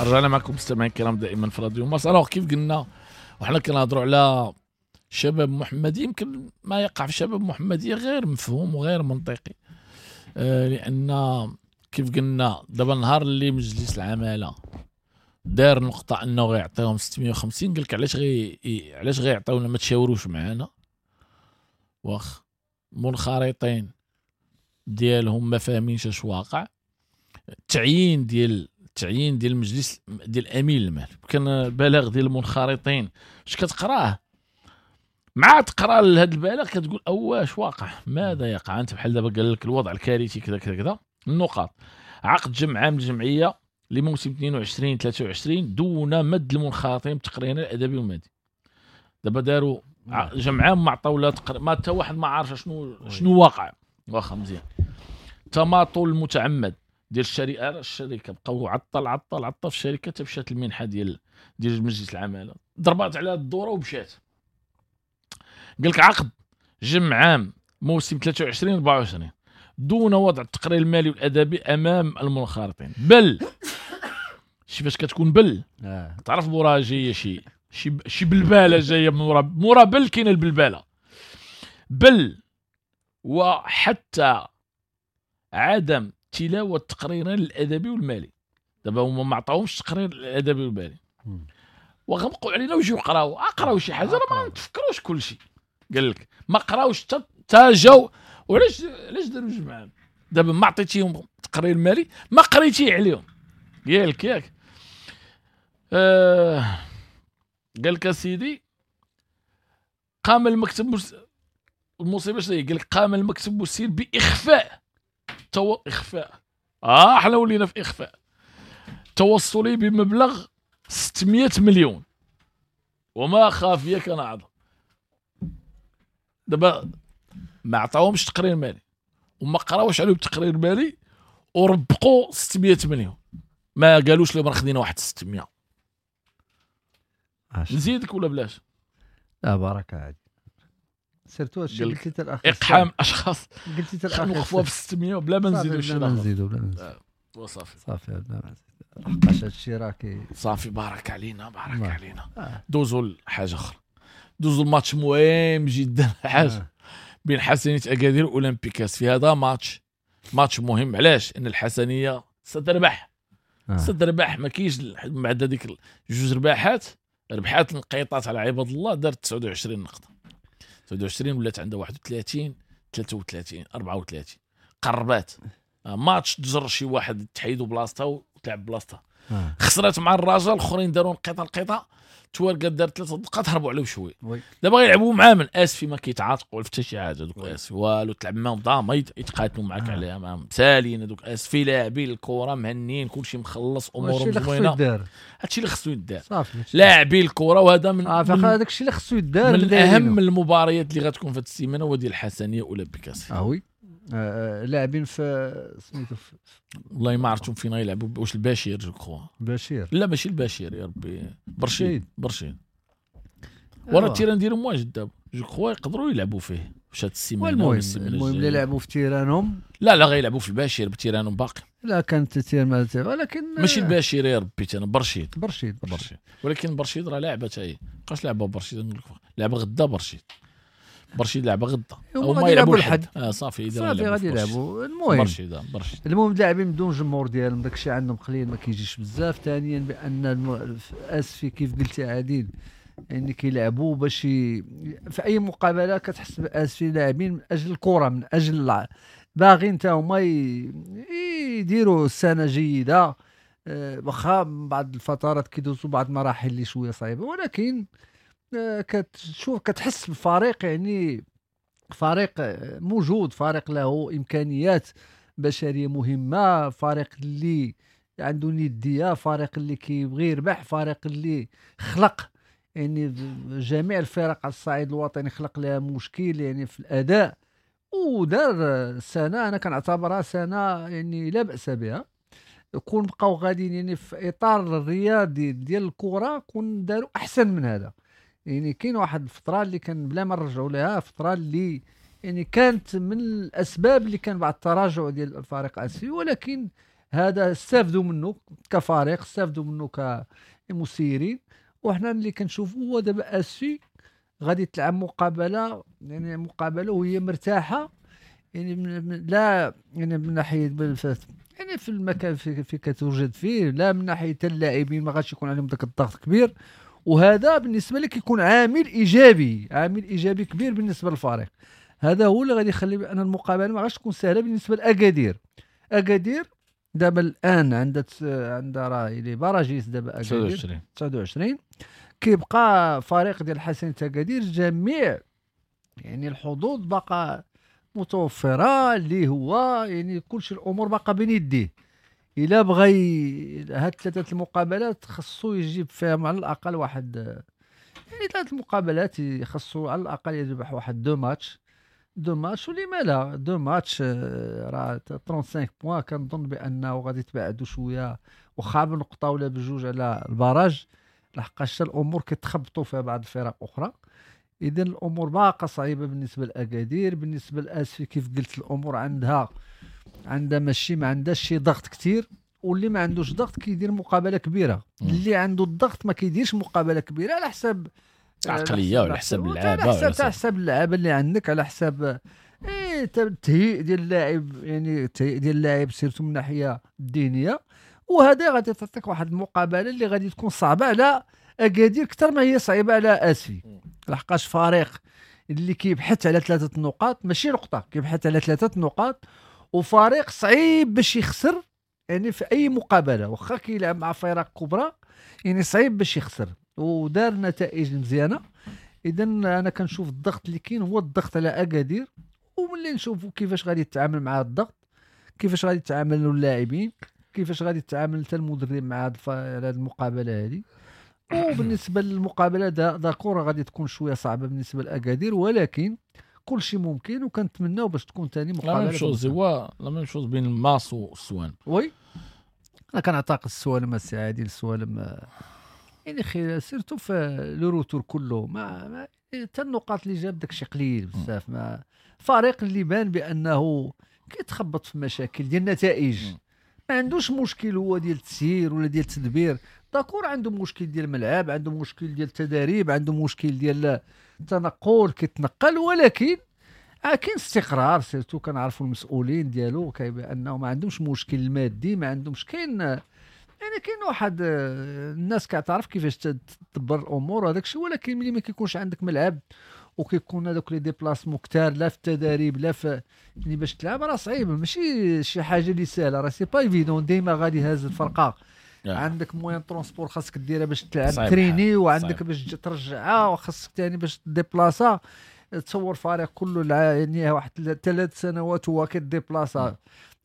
رجعنا معكم مستمعين الكرام دائما في راديو مارس. alors كيف قلنا وحنا كنهضروا على شباب محمدي، يمكن ما يقع في شباب محمدية غير مفهوم وغير منطقي، لان كيف قلنا دابا النهار اللي مجلس العمالة دار نقطة انه غيعطيهم 650، قال لك علاش غيعطيونا ما تشاوروش معنا، واخ منخرطين ديالهم ما فاهمينش اش واقع. التعيين ديال المجلس ديال امين المال كان البلاغ ديال المنخرطين اش كتقراه، مع تقرا لهذا البلاغ كتقول اواش واقع، ماذا يقع؟ انت بحال دابا قال لك الوضع الكارثي كذا كذا كذا. النقاط: عقد جمع عام الجمعية لموسم 22 23 دون مد المنخرطين بتقريرنا الادبي والمادي. دابا داروا جمعان ما عطاو لا تقرير، ما حتى واحد ما عارف شنو واقع. واخا مزيان. تماطل المتعمد ديال الشركة بقاو عطل عطل عطل في الشركة حتى مشات المنحة ديال مجلس العمالة، ضربات على الدورة ومشات. قال لك عقد جمع عام موسم 23-24 دون وضع التقرير المالي والادبي امام المنخرطين. بل شي فاش كتكون بل تعرف موراها جاية شي بلباله جاية مورا بل كاينه البلباله. بل وحتى عدم تلاوة التقريرين الادبي والمالي. دابا هما ما عطاوهمش التقرير الادبي والمالي وغمقوا علينا وجيو قراو، اقراو شي حاجة راه ما نتفكروش كل شيء. قال لك ما قراوش حتى جاو. وعلاش داروا جمعان؟ دابا ما عطيتيهم التقرير المالي، ما قريتيه عليهم. قال ياك قال لك سيدي قام المكتب المصيبة شنو هي؟ قال لك قام المكتب المسير باخفاء اخفاء حنا ولينا في اخفاء توصلي بمبلغ 600 مليون وما خافية كان اعظم. دابا ما عطاوهمش تقرير مالي وما قراوش عليهم التقرير المالي وربقوا 600 مليون، ما قالوش لهم راه خدينا واحد 600. نزيدك ولا بلاش؟ لا بركة عادي. surtout هادشي قلتي حتى الاخر، اقحام اشخاص قلتي حتى الاخر نوقفوها في 600 بلا ما نزيدو شي نزيدو بلا ما نزيدو وصافي صافي بلا ما نزيدو، لحقاش هادشي راه كي صافي. بارك علينا بارك علينا. دوزو لحاجة اخرى، دوزو الماتش مهم جدا حاجة بين حسنيه اكادير واولمبيك آسفي. هذا ماتش مهم. علاش؟ ان الحسنيه ستربح ستربح، ما كاينش بعد هذيك جوج رباحات، ربحات نقيطات على عباد الله، دارت 29 نقطة، 29 ولات عندها 31 33 34 قربات. ماتش تجر شي واحد تحيدوا بلاصتها وتلعب بلاصتها. خسرات مع الرجاء، الاخرين داروا نقيطه نقيطه، تواركه دارت 3 دقات هربوا عليهم شوية. دابا غيلعبوا مع من اسفي ما كيتعاتقوا حتى شي حاجة، دوك اسفي والو تلعب معاهم ضامه يتقاتلوا معاك عليها، معاهم سالين دوك اسفي لاعبين الكره مهنيين كلشي مخلص امورهم زوينة. هادشي اللي خصو يدار لاعبين الكره، وهذا من هذاك الشيء اللي خصو يدار. من اهم المباريات اللي غتكون في هذه السيمانة هو ديال الحسنيه اولمبيك آسفي. oui لاعبين في سميتو والله ما عرفتهم فين غيلعبوا، واش البشير je crois بشير؟ لا ماشي البشير يا ربي، برشيد ورا ال terrain ديالهم واجد دابا je crois يقدروا يلعبوا فيه واش هاد السيمانة ولا السيمانة المهم اللي لعبوا في terrain هم. لا غيلعبوا في البشير ب terrain هم باقي. لا كانت terrain ولكن ماشي البشير يا ربي انا برشيد برشيد ولكن برشيد راه لعبه حتى هي، بقاش لعبه برشيد، لعبه غدا برشيد لعبه غدا هما يلعبوا الحد. صافي صافي غادي يلعبوا. المهم برشيد المهم اللاعبين بدون جمهور ديالهم داكشي عندهم قليل ما كيجيش بزاف. ثانيا بان اسفي كيف قلتي عادل يعني كيلعبوا باش في اي مقابله كتحس باسفي لاعبين من اجل الكره، من اجل باغيين حتى هما يديروا سنة جيدة، واخا بعض الفترات كيدوزوا بعض المراحل اللي شوية صعيبة، ولكن كتشوف كتحس بالفريق يعني فريق موجود، فريق له امكانيات بشرية مهمة، فريق اللي عنده نديه، فريق اللي كيبغي يربح، فريق اللي خلق يعني جميع الفرق على الصعيد الوطني خلق لها مشكل يعني في الاداء، ودار سنة انا كنعتبرها سنة يعني لا باس بها. كون بقاو غاديين يعني في اطار الرياضي ديال الكره كون داروا احسن من هذا. يعني كاين واحد الفترة اللي كان بلا ما نرجعوا لها، فترة اللي يعني كانت من الاسباب اللي كان بعد التراجع ديال الفريق اسفي، ولكن هذا استافدوا منه كفريق، استافدوا منه كمسيرين. وحنا اللي كنشوفوا هو دابا اسفي غادي تلعب مقابله يعني مقابله وهي مرتاحة، يعني لا يعني من ناحية يعني في المكان في كتوجد فيه، لا من ناحية اللاعبين ما غاديش يكون عليهم ذاك الضغط كبير، وهذا بالنسبة لك يكون عامل ايجابي، عامل ايجابي كبير بالنسبة للفريق. هذا هو اللي غادي يخلي بان المقابلة ما غاديش تكون سهلة بالنسبة لاكادير. اكادير دابا الان عندها راه les barragistes دابا اكادير 29، كيبقى فريق ديال حسن اكادير جميع يعني الحظوظ باقا متوفرة اللي هو يعني كلشي الامور باقا بين يديه. الا بغى هاد ثلاثة المقابلات خصو يجيب فيهم على الاقل واحد يعني ثلاث المقابلات خاصو على الاقل يربح واحد deux matchs، ولما لا deux matchs راه 35 points. كنظن بانه غادي تبعدوا شوية واخا بنقطة ولا بجوج على ال barrage، لحقاش الامور كيتخبطوا فيها بعض الفرق اخرى. اذا الامور باقا صعيبة بالنسبة لاكادير. بالنسبة لاسفي كيف قلت الامور عندها ماشي ما عندهاش شي ضغط كثير، واللي ما عندوش ضغط كيدير مقابله كبيرة، اللي عنده الضغط ما كيديرش مقابله كبيرة على حساب العقلية وعلى حساب اللعابه، على حساب اللعابه اللي عندك، على حساب التهيئ ديال اللاعب، يعني التهيئ ديال اللاعب surtout من الناحية الذهنية. وهذا غادي تعطيك واحد المقابلة اللي غادي تكون صعبة على اكادير اكثر ما هي صعيبة على اسفي، لحقاش فريق اللي كيبحث على 3 نقاط ماشي نقطة، كيبحث على 3 نقاط، وفريق صعيب باش يخسر يعني في اي مقابله، واخا كيلعب مع فرق كبرى يعني صعيب باش يخسر، ودار نتائج مزيانه. اذا انا كنشوف الضغط اللي كاين هو الضغط على اكادير، وملي نشوفوا كيفاش غادي يتعامل مع الضغط، كيفاش غادي يتعاملوا اللاعبين، كيفاش غادي يتعامل حتى المدرب مع هذه المقابلة هذه. وبالنسبة للمقابله d'accord غادي تكون شوية صعبة بالنسبة لاكادير، ولكن كل شيء ممكن، وكنتمناو باش تكون ثاني مقابله. la même chose هو la même chose بين الماس والسوالم. oui انا كنعتقد السوالم السي عادل، السوالم يعني خير surtout في le retour كله، ما حتى النقاط اللي جاب داكشي قليل بزاف. ما فريق اللي بان بانه كيتخبط في مشاكل ديال النتائج، ما عندوش مشكل هو ديال التسيير ولا ديال التدبير، d'accord عنده مشكل ديال الملعب، عنده مشكل ديال التدريب، عنده مشكل ديال التنقل كيتنقل، ولكن كاين استقرار. surtout كنعرفوا المسؤولين ديالو بانه ما عندهمش مشكل المادي، ما عندهمش، كاين يعني كاين واحد الناس كتعرف كيفاش تدبر الامور هذاك الشيء. ولكن ملي ما كيكونش عندك ملعب وكيكون هذوك les déplacements كثار لا في التدريب لا في يعني باش تلعب راه صعيب، ماشي شي حاجة اللي سهلة، راه c'est pas évident ديما غادي هاز الفرقة. عندك moyen transport خاصك ديرها باش تلعب تريني، وعندك باش ترجعها، وخاصك ثاني باش déplacer. تصور فريق كله يعني واحد 3 سنوات هو كي déplacer،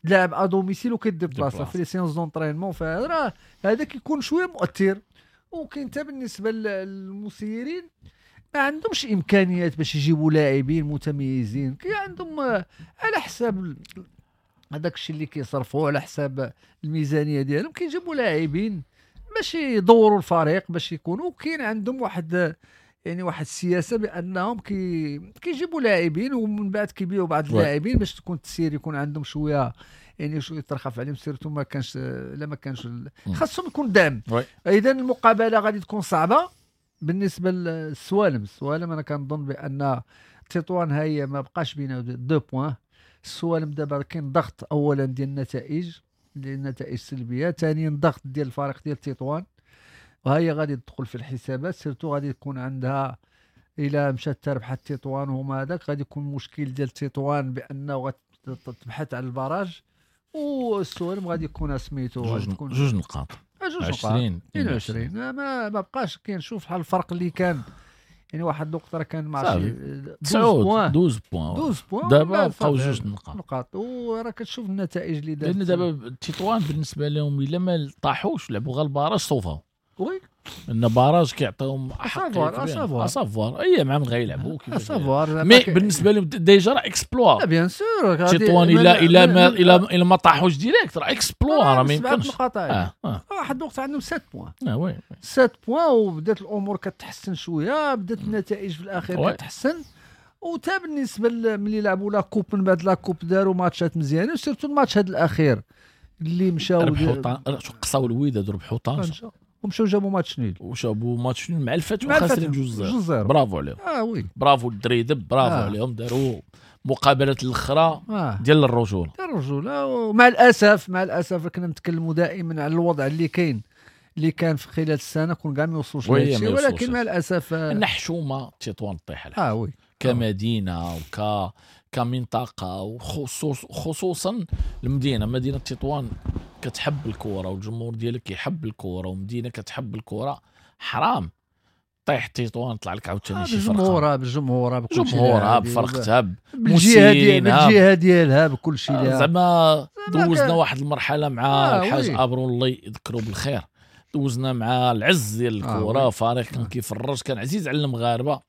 لاعب à domicile وكي déplacer في les séances d'entraînement، فهذا هذا كيكون شوية مؤثر. وكاين حتى بالنسبة للمسيرين ما عندهمش امكانيات باش يجيبوا لاعبين متميزين، كي عندهم على حساب هذاك الشيء اللي كيصرفوه على حساب الميزانية ديالهم كيجيبوا لاعبين باش يدوروا الفريق باش يكونوا. كاين عندهم واحد يعني واحد السياسة بانهم كيجيبوا لاعبين ومن بعد كيبيعوا بعض اللاعبين باش تكون التسيير يكون عندهم شوية يعني شوية ترخف عليهم، surtout ما كانش لا ما كانش خاصهم يكون دعم. اذا المقابلة غادي تكون صعبة بالنسبة للسوالم. السوالم انا كنظن بان تطوان هي ما بقاش بينا 2 points. السوالم دابا كاين ضغط اولا ديال النتائج، ديال النتائج السلبية، ثانيا ضغط ديال الفريق ديال تطوان، وهي غادي تدخل في الحسابات. surtout غادي تكون عندها الى مشات تربحت تطوان وهما هذاك غادي يكون مشكل ديال تطوان بانه غتبحث على ال barrage، والسوالم غادي يكون سميتو جوج نقاط 20 22. ما بقاش كنشوف بحال الفرق اللي كان يعني واحد الوقت راه كان مع شي 12 points، دابا بقاو 2 نقاط، وراه كتشوف النتائج اللي دارت. لان دابا تطوان بالنسبة لهم الا ما طاحوش لعبوا غير ال barrage صوفاو، oui ان barrage كيعطيهم حق à savoir اي مع من غيلعبوا كيفاش mais بالنسبة لهم déjà راه exploit. bien sûr تطوان الا ما طاحوش direct راه exploit، راه ما يمكنش. واحد الوقت عندهم 7 points، oui 7 points، وبدات الامور كتحسن شوية، بدات النتائج في الاخير كتحسن. وتا بالنسبة ملي لعبوا la coupe، من بعد la coupe داروا ماتشات مزيانين، surtout الماتش هذا الاخير اللي مشاو ربحوا قصاو الوداد وربحوا طنجه ومشاو جابوا match nul، وجابوا match nul مع الفتح وخاسرين 2-0. برافو عليهم. oui bravo الدريدب، برافو عليهم، داروا مقابلات الاخرى ديال الرجولة، ديال الرجولة. ومع الاسف، مع الاسف كنا نتكلموا دائما على الوضع اللي كاين اللي كان في خلال السنة كون كاع ما يوصلوش لهادشي، ولكن مع الاسف ان حشومه تطوان طيح oui كمدينه وك كمنطقه، وخصوصا المدينة، مدينة تطوان كتحب الكره والجمهور ديالك كيحب الكره، ومدينة كتحب الكره. حرام طيح تطوان طلع لك عاوتاني شي فرقه بالجمهور بكل شيء، جمهورها بفرقتها بالجهة ديالها بكل شيء. زعما دوزنا واحد المرحلة مع الحاج ابرو الله يذكره بالخير، دوزنا مع العز ديال الكره، فريق كان كيفرج، كان عزيز على المغاربة،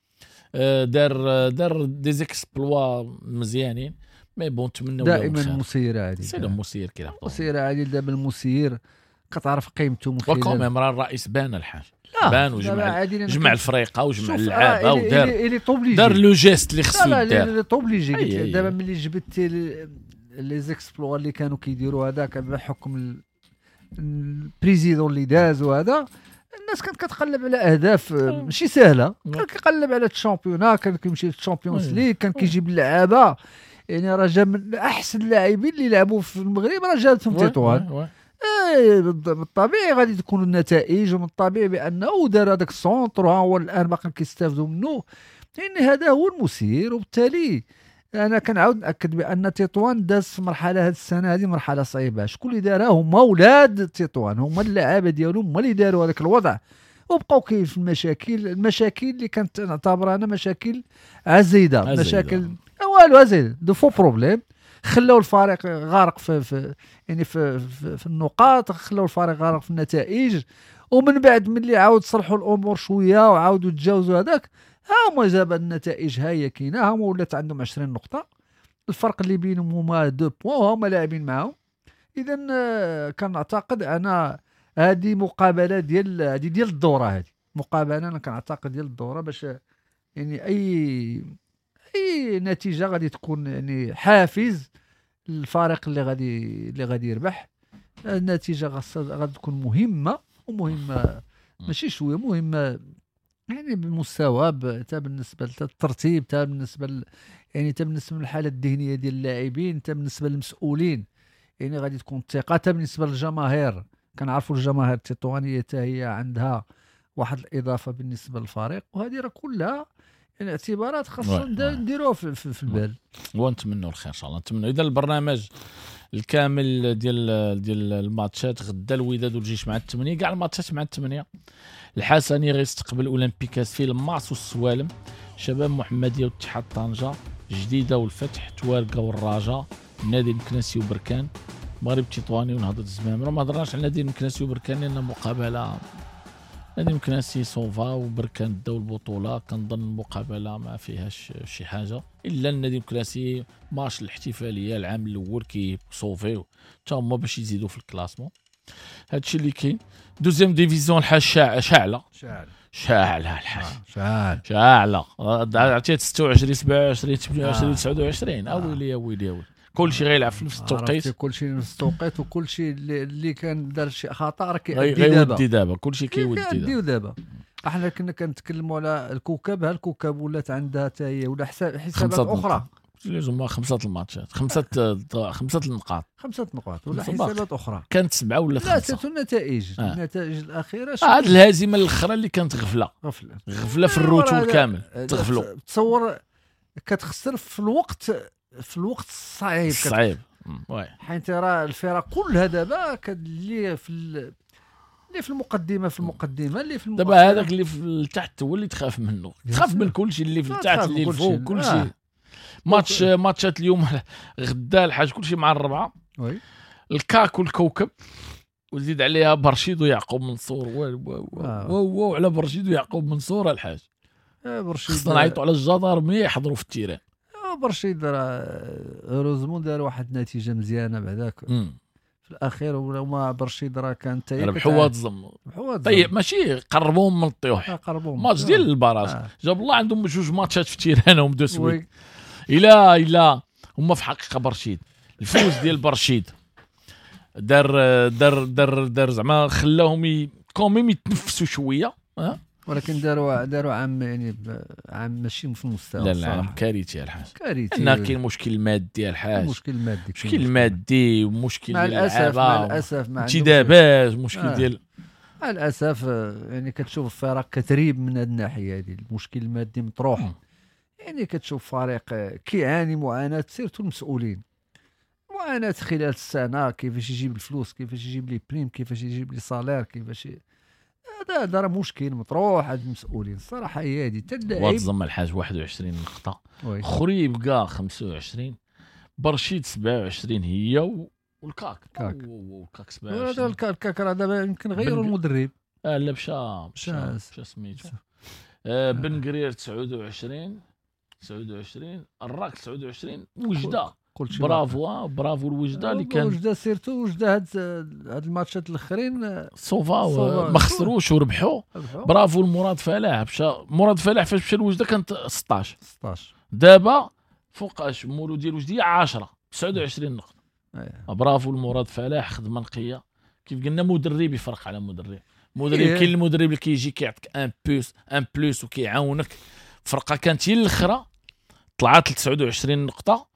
دار des exploits مزيانين. mais bon نتمنوا دائما المسير عادل، c'est المسير كيلعب المسير عادل. دابا المسير كتعرف قيمته من خلال و quand même راه الرئيس بان الحاج، بان وجمع جمع الفريقه وجمع اللعابه ودار دار le geste اللي خصو يدار. il est obligé. دابا ملي جبتي les exploits اللي كانوا كيديروا هذاك بحكم ال président اللي داز وهذا، الناس كانت كتقلب على اهداف ماشي سهلة، كان كيقلب على ال championnat، كان كيمشي لل Champions League، كان كيجيب اللعابه، يعني راه جا من احسن اللاعبين اللي لعبوا في المغرب، راه جاتهم تطوان. بالطبيعي غادي تكون النتائج، ومن الطبيعي بانه دار هذاك ال centre وها هو الان باقي كيستافدوا منه، لان هذا هو المسير. وبالتالي انا كنعاود ناكد بان تطوان داز في مرحلة هذه السنة هذه مرحلة صعيبة. شكون اللي دارها؟ هما ولاد تطوان، هما اللعابه ديالهم، هما اللي داروا هذاك الوضع وبقاو كاين في المشاكل اللي كانت نعتبرها انا مشاكل عزيده، مشاكل والو عزيزه، de faux problèmes، خلاو الفريق غارق في يعني في, في, في النقاط، خلاو الفريق غارق في النتائج. ومن بعد ملي عاود صلحوا الامور شوية وعاودوا تجاوزوا هذاك، ها هما جاب النتائج، ها هي كاينه، ها هما ولات عندهم 20 نقطة، الفرق اللي بينهم هما 2 points وهما لاعبين معاهم. اذا كنعتقد انا هذه مقابله ديال هذه ديال الدورة، هذه مقابله انا كنعتقد ديال الدورة، باش يعني اي نتيجة غادي تكون يعني حافز للفريق اللي غادي يربح. النتيجة غادي تكون مهمة، ومهمة ماشي شوية، مهمة يعني بالمستوى، حتى بالنسبة للترتيب، حتى بالنسبة يعني حتى بالنسبة للحالة الذهنية ديال اللاعبين، حتى بالنسبة للمسؤولين، يعني غادي تكون الثقة، حتى بالنسبة للجماهير. كنعرفوا الجماهير التطوانيه حتى هي عندها واحد الاضافة بالنسبة للفريق، وهذه راه كلها يعني اعتبارات خاصنا نديروها في البال، ونتمنوا الخير ان شاء الله. نتمنوا. اذا البرنامج الكامل ديال الماتشات غدا، الوداد والجيش مع 8، كاع الماتشات مع 8. الحسني غيستقبل اولمبيك اسفي، الماس والسوالم، شباب محمديه واتحاد طنجه، جديدة والفتح، توارقه والرجاء، النادي المكناسي وبركان، المغرب التطواني ونهضه الزمامره. ما هضرناش على النادي المكناسي وبركان لان مقابله نادي المكناسي sauva وبركان داو البطولة، كنظن المقابلة ما فيهاش شي حاجة الا النادي المكناسي ماتش الاحتفالية العام الاول كيصوفيو حتى هما باش يزيدوا في ال classement. هادشي اللي كاين. deuxième division الحاج شاعله شاعله الحاج شاعله، عرفتي 26 27 28 29. اويلي اويلي اويلي، كلشي غيلعب في نفس التوقيت، كلشي في نفس التوقيت، وكلشي اللي كان دار شي خطا راه كيأدي دابا، كلشي كيودي دابا. احنا كنا كنتكلموا على الكوكب، ها الكوكب ولات عندها حتى هي ولا حسابات اخرى، لازم 5 الماتشات، 5 النقاط، 5 نقاط ولا حسابات اخرى، كانت 7 ولا 5. لا النتائج النتائج الاخيرة، هاد الهزيمة الاخرى اللي كانت غفلة في ال retour كامل تغفلوا. تصور كتخسر في الوقت الصعيب oui، حيت راه الفرق كلها دابا اللي في المقدمة، اللي في المقدمة دابا هذاك اللي في التحت هو اللي تخاف منه، تخاف من كل شيء اللي في التحت اللي الفوق كل شيء. ماتشات اليوم غدا الحاج كل شيء مع 4، oui، الكاك والكوكب، وزيد عليها برشيد ويعقوب منصور. واو واو على برشيد ويعقوب منصور الحاج، برشيد خصنا نعيطوا على الجدارميه يحضروا في ال terrain. برشيد راه heureusement دار واحد النتيجة مزيانه بعداك في الاخير، وما برشيد راه كان حتى ربحوا الزم. طيب ماشي قربوهم من الطيوح، ماتش ديال ال barrage. جاب الله عندهم جوج ماتشات في terrain هم de suite. الى هما في حقيقة برشيد الفوز ديال برشيد دار دار دار دار زعما خلاهم quand même يتنفسوا شوية، ولكن داروا عام يعني عام ماشي في المستوى. لا عام كارثي الحاج، كارثي. لان كاين مشكل مادي الحاج، مشكل مادي، مشكل مادي، ومشكل مع الاسف، مع الاسف ما عندهمش انتدابات، مشكل ديال مع الاسف. يعني كتشوف الفرق كتريب من هذه الناحية هذه، المشكل المادي مطروح. يعني كتشوف فريق كيعاني معاناة، surtout المسؤولين، معاناة خلال السنة، كيفاش يجيب الفلوس، كيفاش يجيب les primes، كيفاش يجيب les salaires، كيفاش هذا راه مشكل مطروح عند المسؤولين الصراحة. هي هذه حتى اللاعب وتزم الحاج 21 نقطة، خريبكا 25، برشيد 27 هي والكاك كاك. والكاك هذا 27. الكاك راه دابا يمكن غيروا المدرب. لا مشى سميتو بن قرير 29 الراك 29 وجده. bravo bravo الوجده اللي كان وجده surtout وجده هاد الماتشات الاخرين sauva ما خسروش وربحوا. برافو المراد فلاح. مشى مراد فلاح فاش مشى لوجده كانت 16 دابا فوقاش مولو ديال وجديه 10 29 نقطة. برافو المراد فلاح، خدمة نقية كيف قلنا. مدرب يفرق على مدرب. كاين المدرب اللي كيجي كيعطيك un plus وكيعاونك. فرقه كانت هي الاخرى طلعت ل 29 نقطة.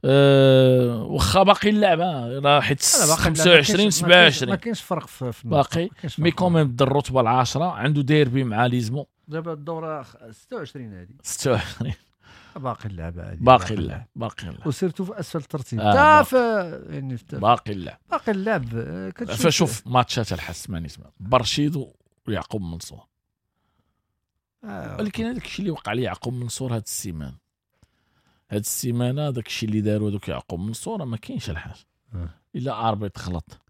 واخا باقي اللعبة راه حيت 25 27 ما كاينش فرق في باقي، mais quand même دا الرتبة العاشرة. عنده ديربي مع ليزمو دابا الدورة 26 هذه 26 باقي اللعبة هذه باقي اللعب باقي اللعب، و surtout في اسفل الترتيب تا في يعني باقي اللعب باقي اللعب. فشوف ماتشات الحس ماني اسمع برشيد ويعقوب منصور. ولكن هذاك الشيء اللي وقع لي يعقوب منصور هاد السيمانة داك الشيء اللي داروا دوك يعقوب منصور ما كاينش الحاج. الا arbitre غلط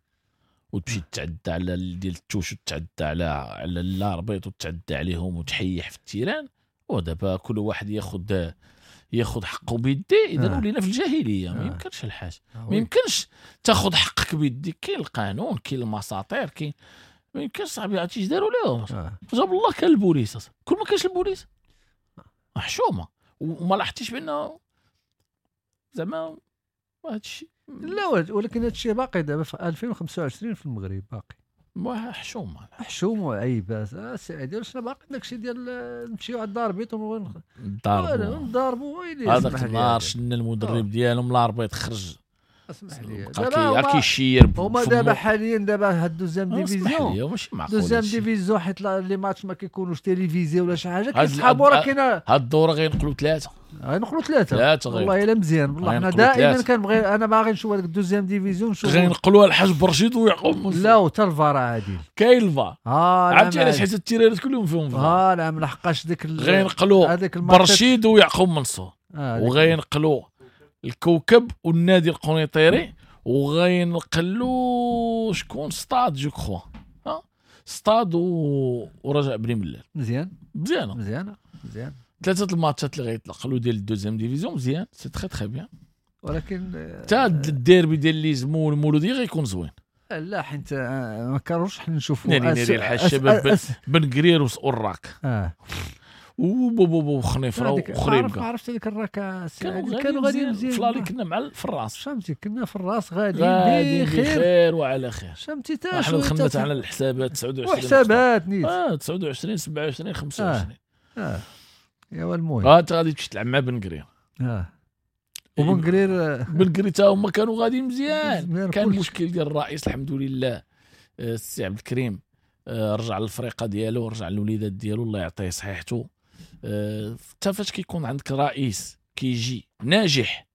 وتمشي تعدى على ديال ال touche وتعدى على ال arbitre وتعدى عليهم وتحيح في ال terrain، ودابا كل واحد ياخذ حقه بيديه. اذا ولينا في الجاهلية. ما يمكنش الحاج، ما يمكنش تاخذ حقك بيديك. كاين القانون، كاين المساطير، كاين ما يمكنش صاحبي. عرفتي اش داروا لهم؟ جاب الله كان البوليس. كل ما كانش البوليس حشومه. وما لاحظتيش بان زعما هذا الشيء؟ لا، ولكن هذا الشيء باقي دابا في 2025 في المغرب باقي حشومه حشومه وعيب. السي عادل شنو باقي داكشي ديال نمشيو عند l'arbitre ونضاربوا ويلي. هذاك النهار شنا المدرب ديالهم l'arbitre خرج. اسمح لي دابا كيشير هما دابا حاليا دابا هاد deuxième division deuxième division حيت les matchs ما كيكونوش télévisés ولا شي حاجة كيسحبوا. راه كاينه هاد الدورة غينقلوا ثلاثة، غينقلوا ثلاثة والله الا مزيان. والله حنا دائما كنبغي انا باغي نشوف هذيك ال deuxième division. نشوف غينقلوها الحاج برشيد ويعقوب. لا وتا الفار عادل كاين الفار. عرفتي علاش؟ حيت التيرانات كلهم فيهم فار. نعم لحقاش ديك غينقلوا برشيد ويعقوب منصور، وغينقلوا الكوكب والنادي القنيطيري، وغينقلوا شكون ستاد je crois ستاد ورجاء بني ملال. مزيان مزيانه مزيانه مزيان. ثلاثة الماتشات اللي غيتنقلوا ديال ال deuxième division مزيان، c'est très très bien. ولكن حتى الديربي ديال ليزمو والمولوديه غيكون زوين. لا حيت ما كانوش حنا نشوفوا ناري الحاج الشباب بن قرير والراك وبوبو خنيفره وخريبكه. ما عرفت هذيك الراكه كانوا غاديين مزيان. فلالي كنا مع في الراس، فهمتي، كنا في الراس غاديين بخير وعلى خير. فهمتي تا حنا دخلنا على الحسابات 29 وحسابات نيت 29 27 25. يا المهم انت غادي تمشي تلعب مع بن قرير. وبن قرير بن قرير تا هما كانوا غاديين مزيان. كان المشكل ديال الرئيس الحمد لله السي عبد الكريم رجع للفريقه ديالو، رجع للوليدات ديالو، الله يعطيه صحيحته. حتى فاش كيكون عندك رئيس كيجي ناجح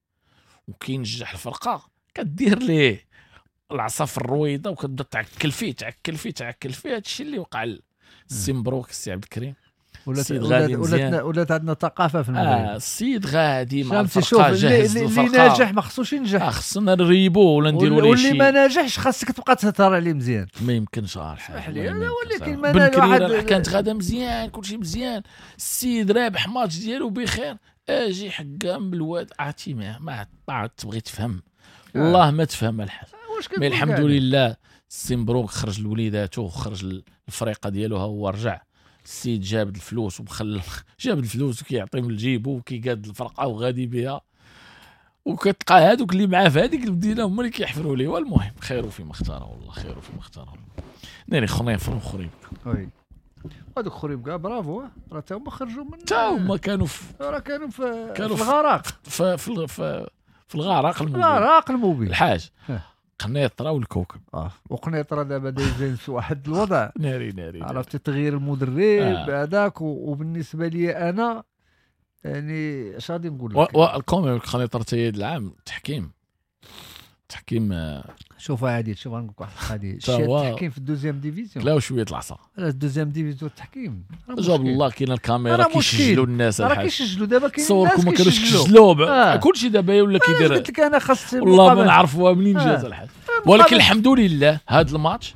وكينجح الفرقة كدير ليه العصا في الرويضه وكتبدا تعكل فيه تعكل فيه تعكل فيه. هادشي اللي وقع السي مبروك السي عبد الكريم. ولات عندنا ثقافة في المغرب. السيد غادي مع الفرقة جاهز اللي ناجح ما خصوش ينجح، خصنا نريبو ولا نديروا ليه شي، واللي ما ناجحش خاصك تبقى تهضر عليه مزيان. ما يمكنش الحاج. ولكن ما واحد كانت غاده مزيان كلشي مزيان، السيد رابح ماتش ديالو بخير، اجي حكام بالواد عرفتي ما تبغي تفهم والله ما تفهم الحاج. mais الحمد لله السي مبروك خرج لوليداتو وخرج الفريقه ديالو، ها هو رجع السيد جابد الفلوس وبخل جابد الفلوس وكيعطي من جيبو وكيقاد الفرقة وغادي بها، وكتلقى هادوك اللي معاه في هذيك المدينة هما اللي كيحفروا ليه. والمهم خير فيما اختاره والله خير فيما اختاره. ناري خنيفر وخريبكه. oui هادوك خريبكه برافو، راه تا هما خرجوا من تا هما كانوا في راه كانوا في الغرق في في, في, في الغرق المبين. الغرق المبين الحاج قنيطره والكوكب. وقنيطره دابا دايزين في واحد الوضع ناري ناري. عرفتي تغيير المدرب هذاك. وبالنسبة لي انا يعني اش غادي نقول لك، والكومي قنيطره حتى هذا العام تحكيم شوف عادل، شوف غنقول لك واحد القضية، التحكيم في ال deuxième division لا شوية العصا. ال deuxième division التحكيم جاب الله كاين الكاميرا كيسجلوا الناس، راه كيسجلوا دابا، كاين الناس ما كانوش كيسجلوا كلشي دابا ولا كيدير. قلت لك انا خاص والله ما نعرفوها منين جات الحاج. ولكن الحمد لله هذا الماتش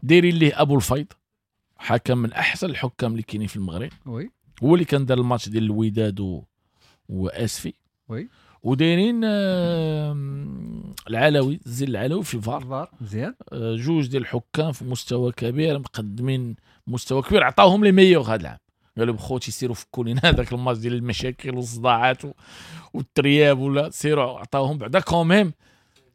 دايرين ليه ابو الفيض، حكم من احسن الحكام اللي كاينين في المغرب، oui هو اللي كان دار الماتش ديال الوداد واسفي، oui ودايرين العلوي، الزين العلوي في الفار مزيان. جوج ديال الحكام في مستوى كبير، مقدمين مستوى كبير، عطاوهم les meilleurs هذا العام. قالوا بخوتي سيروا فكوا لينا هذاك الماتش ديال المشاكل والصداعات والترياب ولا سيروا، عطاوهم بعدا quand même،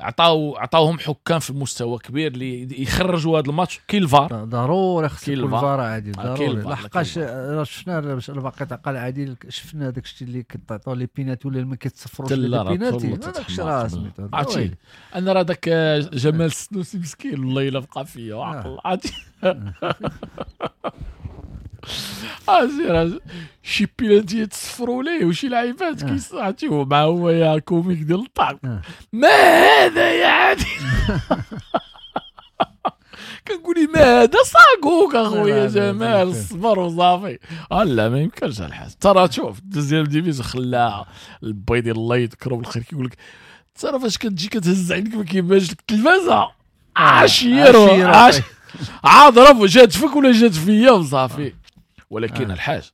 عطاوهم حكام في مستوى كبير اللي يخرجوا هذا الماتش. كاين الفار ضروري، خص يكون الفار عادي ضروري، لحقاش راه شفنا باقي تعقل عادي، شفنا داك الشيء اللي كتعطوا les pénaltys ولا ما كيتصفروش les pénaltys، هذاك الشيء راه سميتو. عرفتي انا راه داك جمال السنوسي مسكين والله الا بقى فيا وعقل عرفتي ازير شي بيلانتي تصفروا ليه وشي لعيبات كيصعتي مع هو يا comique ديال الطعم. ما هذا يا عادل؟ كنقولي ما هذا صاقوك اخويا جمال، الصبر وصافي. لا ما يمكنش الحاج، ترى شوف deuxième division خلاها البيض الله يذكره بالخير، كيقول لك ترى فاش كتجي كتهز عينك ما كيبانش لك التلفازه، عشير عاد ضرب جات فيك ولا جات فيا وصافي. ولكن الحاج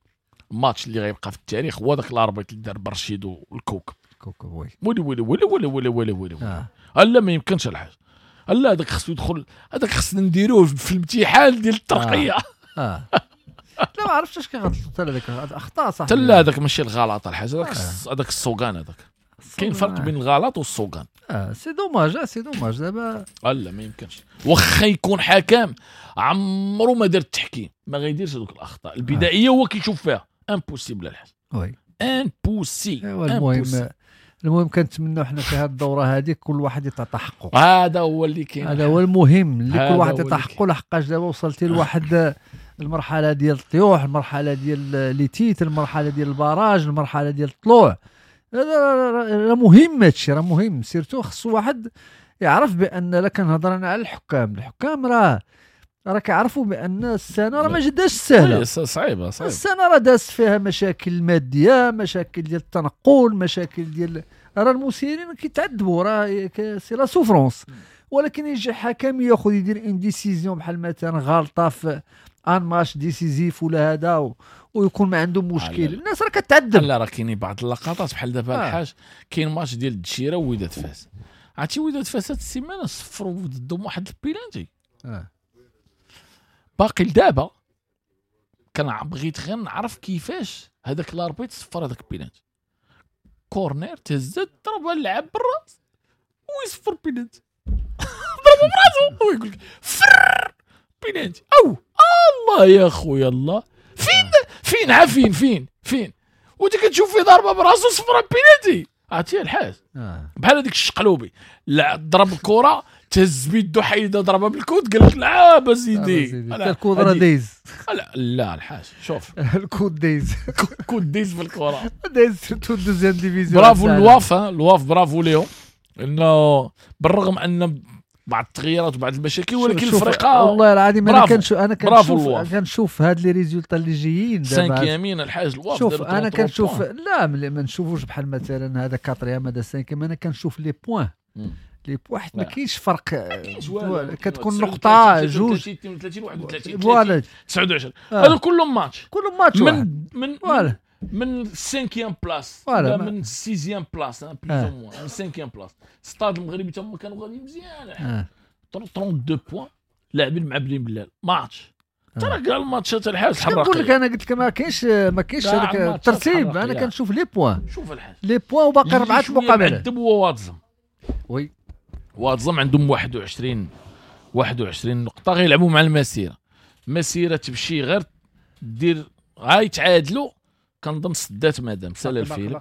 الماتش اللي غيبقى في التاريخ هو داك l'arbitre اللي دار برشيد والكوكب. كوكب oui ويلي ويلي ويلي ويلي ويلي ويلي ويلي. لا ما يمكنش الحاج، لا هذاك خصو يدخل، هذاك خصنا نديروه في الامتحان ديال الترقية. لا ما عرفتش اش كيغلط حتى هذاك، اخطاء صح. لا هذاك ماشي الغلط الحاج، هذاك السوقان، هذاك كاين فرق بين الغلط والسوقان. c'est dommage، c'est dommage دابا. لا ما يمكنش، واخا يكون حكم عمرو ما دار التحكيم ما غيديرش هذوك الاخطاء البدائية، هو كيشوف فيها impossible الحاج. oui impossible. المهم كنتمنوا حنا في هذه الدورة هذه كل واحد يتعطى حقه، هذا هو اللي كاين، هذا هو المهم اللي كل واحد يتعطى حقه. لحقاش دابا وصلتي لواحد المرحلة ديال الطيوح، المرحلة ديال les titres، المرحلة ديال ال barrage، المرحلة ديال الطلوع. هذا مهم، هادشي راه مهم، surtout خصو واحد يعرف بان لا كنهضر انا على الحكام، الحكام راه كيعرفوا بان السنة راه ما جداش سهلة، صعيبة السنة راه داز فيها مشاكل مادية، مشاكل ديال التنقل، مشاكل ديال راه المسيرين كيتعذبوا، راه c'est la souffrance. ولكن يجي حكم ياخذ يدير une décision بحال مثلا غلطه في un match décisif ولا هذا ويكون ما عنده مشكل، الناس راه كتعذب. لا راه كاينين بعض اللقطات بحال دابا الحاج، كاين ماتش ديال الدشيره ووداد فاس، عرفتي وداد فاس هاد السيمانة صفروا ضدهم واحد البيلانتي باقي لدابا كان بغيت غير نعرف كيفاش هذاك l'arbitre صفر هذاك ال pénalty، corner تهزت ضربها اللعب بالراس ويصفر بيلانتي ضربها براسو ويقول لك فر بيلانتي. او الله يا خويا الله، فين فين عفين فين فين وانت كتشوف في ضربه براسو صفر بيلانتي. عرفتي الحاج بحال هذيك الشقلوبي ضرب الكره تهز بيدو حيده ضربها بال coude قال لك لعاب سيدي ال coude راه دايز. لا لا الحاج شوف ال coude دايز، coude دايز في الكره دايز surtout deuxième division. برافو الواف، الواف برافو ليهم، انه بالرغم ان بعض التغييرات وبعض المشاكل ولكن الفرقة والله العظيم انا كنشوف انا كنشوف هاد les résultats اللي جايين دابا cinquième الحاج الواف. شوف انا كنشوف لا ما نشوفوش بحال مثلا هذا quatrième هذا cinquième، انا كنشوف les points les points حيت ما كاينش فرق، كتكون نقطة جوج 32 31 29 هذا كلهم ماتش، كلهم ماتش من من 5 place ولا من 6 place plus ou moins من 5 place. ستاد المغربي تما كانوا غاديين مزيان 32 points لاعبين مع بني بلال ماتش ترى كاع الماتشات الحاج الحراقيه. نقول لك انا قلت لك ما كاينش هذاك الترتيب، انا كنشوف les points، شوف الحاج les points وباقي اربعة مقابلات. هو واد زم، oui واد زم عندهم 21 نقطة غيلعبوا مع المسيرة، مسيره تمشي غير دير غايتعادلوا كنظن سدات مادام سال الفيلم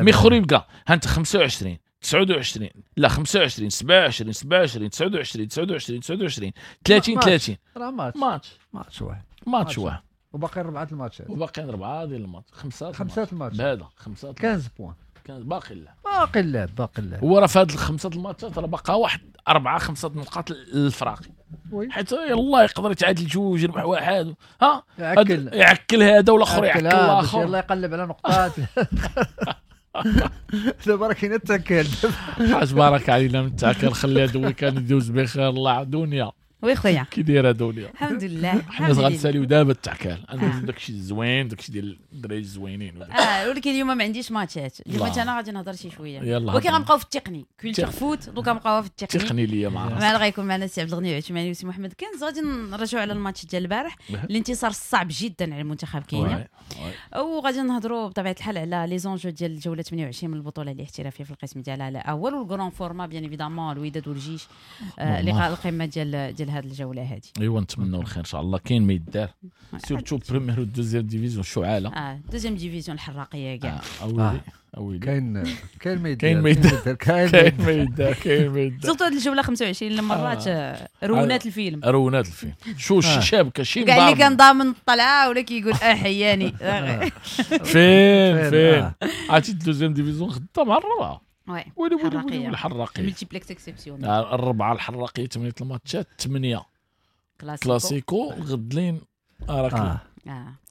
mais خريبكا ها انت 25 29 لا 25 27 27 29 29 29 30 30 راه ماتش واحد، ماتش واحد وباقي اربعة الماتشات، وباقي اربعة ديال الماتش، خمسة الماتش هذا 15 points كان باقي لا باقي اللعب، باقي اللعب. هو راه في هاد الخمسة الماتشات راه باقا واحد 4 5 نقاط للفراقي، oui. حيت يلاه يقدر يتعادل جوج، يربح واحد، ها يعكل يعكل هذا والاخر يعكل باش الاخر، يلاه يقلب على نقطات. دابا راه كاين التاكل. حاج بارك علينا من التاكل، خلي هذا ال week-end يدوز بخير. الله دنيا oui خويا كي دايرة دنيا؟ الحمد لله. حنا غنساليو دابا التعكال، عندنا داكشي الزوين، داكشي ديال الدراري الزوينين. ولكن اليوم ما عنديش ماتشات، اليوم انا غادي نهضر شي شوية، ولكن غنبقاو في التقني culture foot، donc غنبقاو في التقني. التقني ليا مع راسك. معنا غيكون معنا السي عبد الغني العثماني وسي محمد كنز. غادي نرجعوا على الماتش ديال البارح، الانتصار الصعب جدا على المنتخب كينيا، وغادي نهضروا بطبيعة الحال على les enjeux ديال الجولة 28 من البطولة الاحترافية في القسم ديالها الاول، وال grand format bien évidemment الوداد والجيش، لقاء القمه ديال هذه الجولة هذه. ايوا نتمنوا الخير ان شاء الله. كاين ما يدار surtout première و deuxième division شعاله. deuxième division الحراقيه كاع. اويلي اويلي كاين ما يدار، كاين ما يدار، كاين ما يدار، كاين ما يدار. surtout هذه الجولة 25 مرات رونات الفيلم، رونات الفيلم. شو شابكه شي كاع اللي كان ضامن الطلعة ولا كيقول حياني فين فين. عرفتي deuxième division خدام مع الربعه. oui ويلي ويلي ويلي الحراقيه multiplex exceptionnel. الربعه الحراقيه 8 الماتشات 8 كلاسيكو الغدلين راك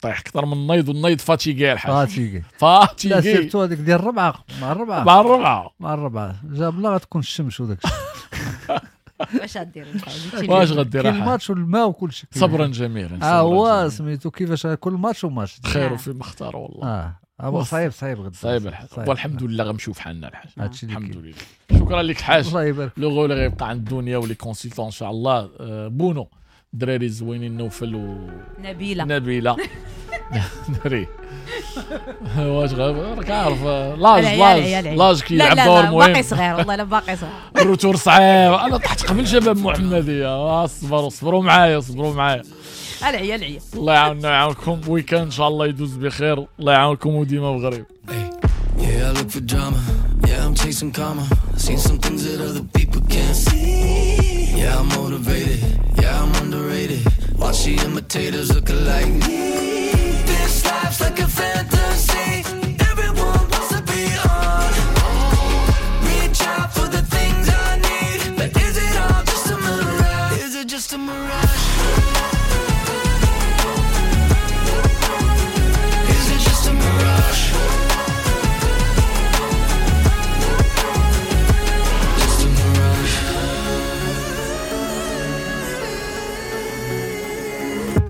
طيح اكثر من النيض، والنيض fatigué الحاج، fatigué. لا surtout هذيك ديال الربعه مع الربعه مع الربعه مع الربعه جاب لا غتكون الشمس وداك الشيء. واش غدير الحاج؟ واش غدير كاين الماتش والماء وكل شيء. صبرا جميلا. هو سميتو كيفاش كل ماتش وماتش خير فيما اختار والله. هو صعيب صعيب غدا صعيب الحاج، والحمد لله غنمشيو في حالنا الحاج، الحمد لله. شكرا لك حاج، الله يبارك. le relais غيبقى عند الدنيا و les consultants ان شاء الله. بونو الدراري الزوينين نوفل و نبيلة دري واش راك عارف l'âge l'âge كيلعب دور مهم. باقي صغير والله، لا باقي صغير. ال retour صعيب، انا طحت قبل شباب محمديه. اصبروا صبروا معايا، صبروا معايا. العيا العيا. الله يعاوننا ويعاونكم، week-end ان شاء الله يدوز بخير. الله يعاونكم وديما بغريب. Yeah, I look for drama. Yeah, I'm chasing karma. Seen some things that other people can't see. Yeah, I'm motivated. Yeah, I'm underrated. Watch the imitators look alike.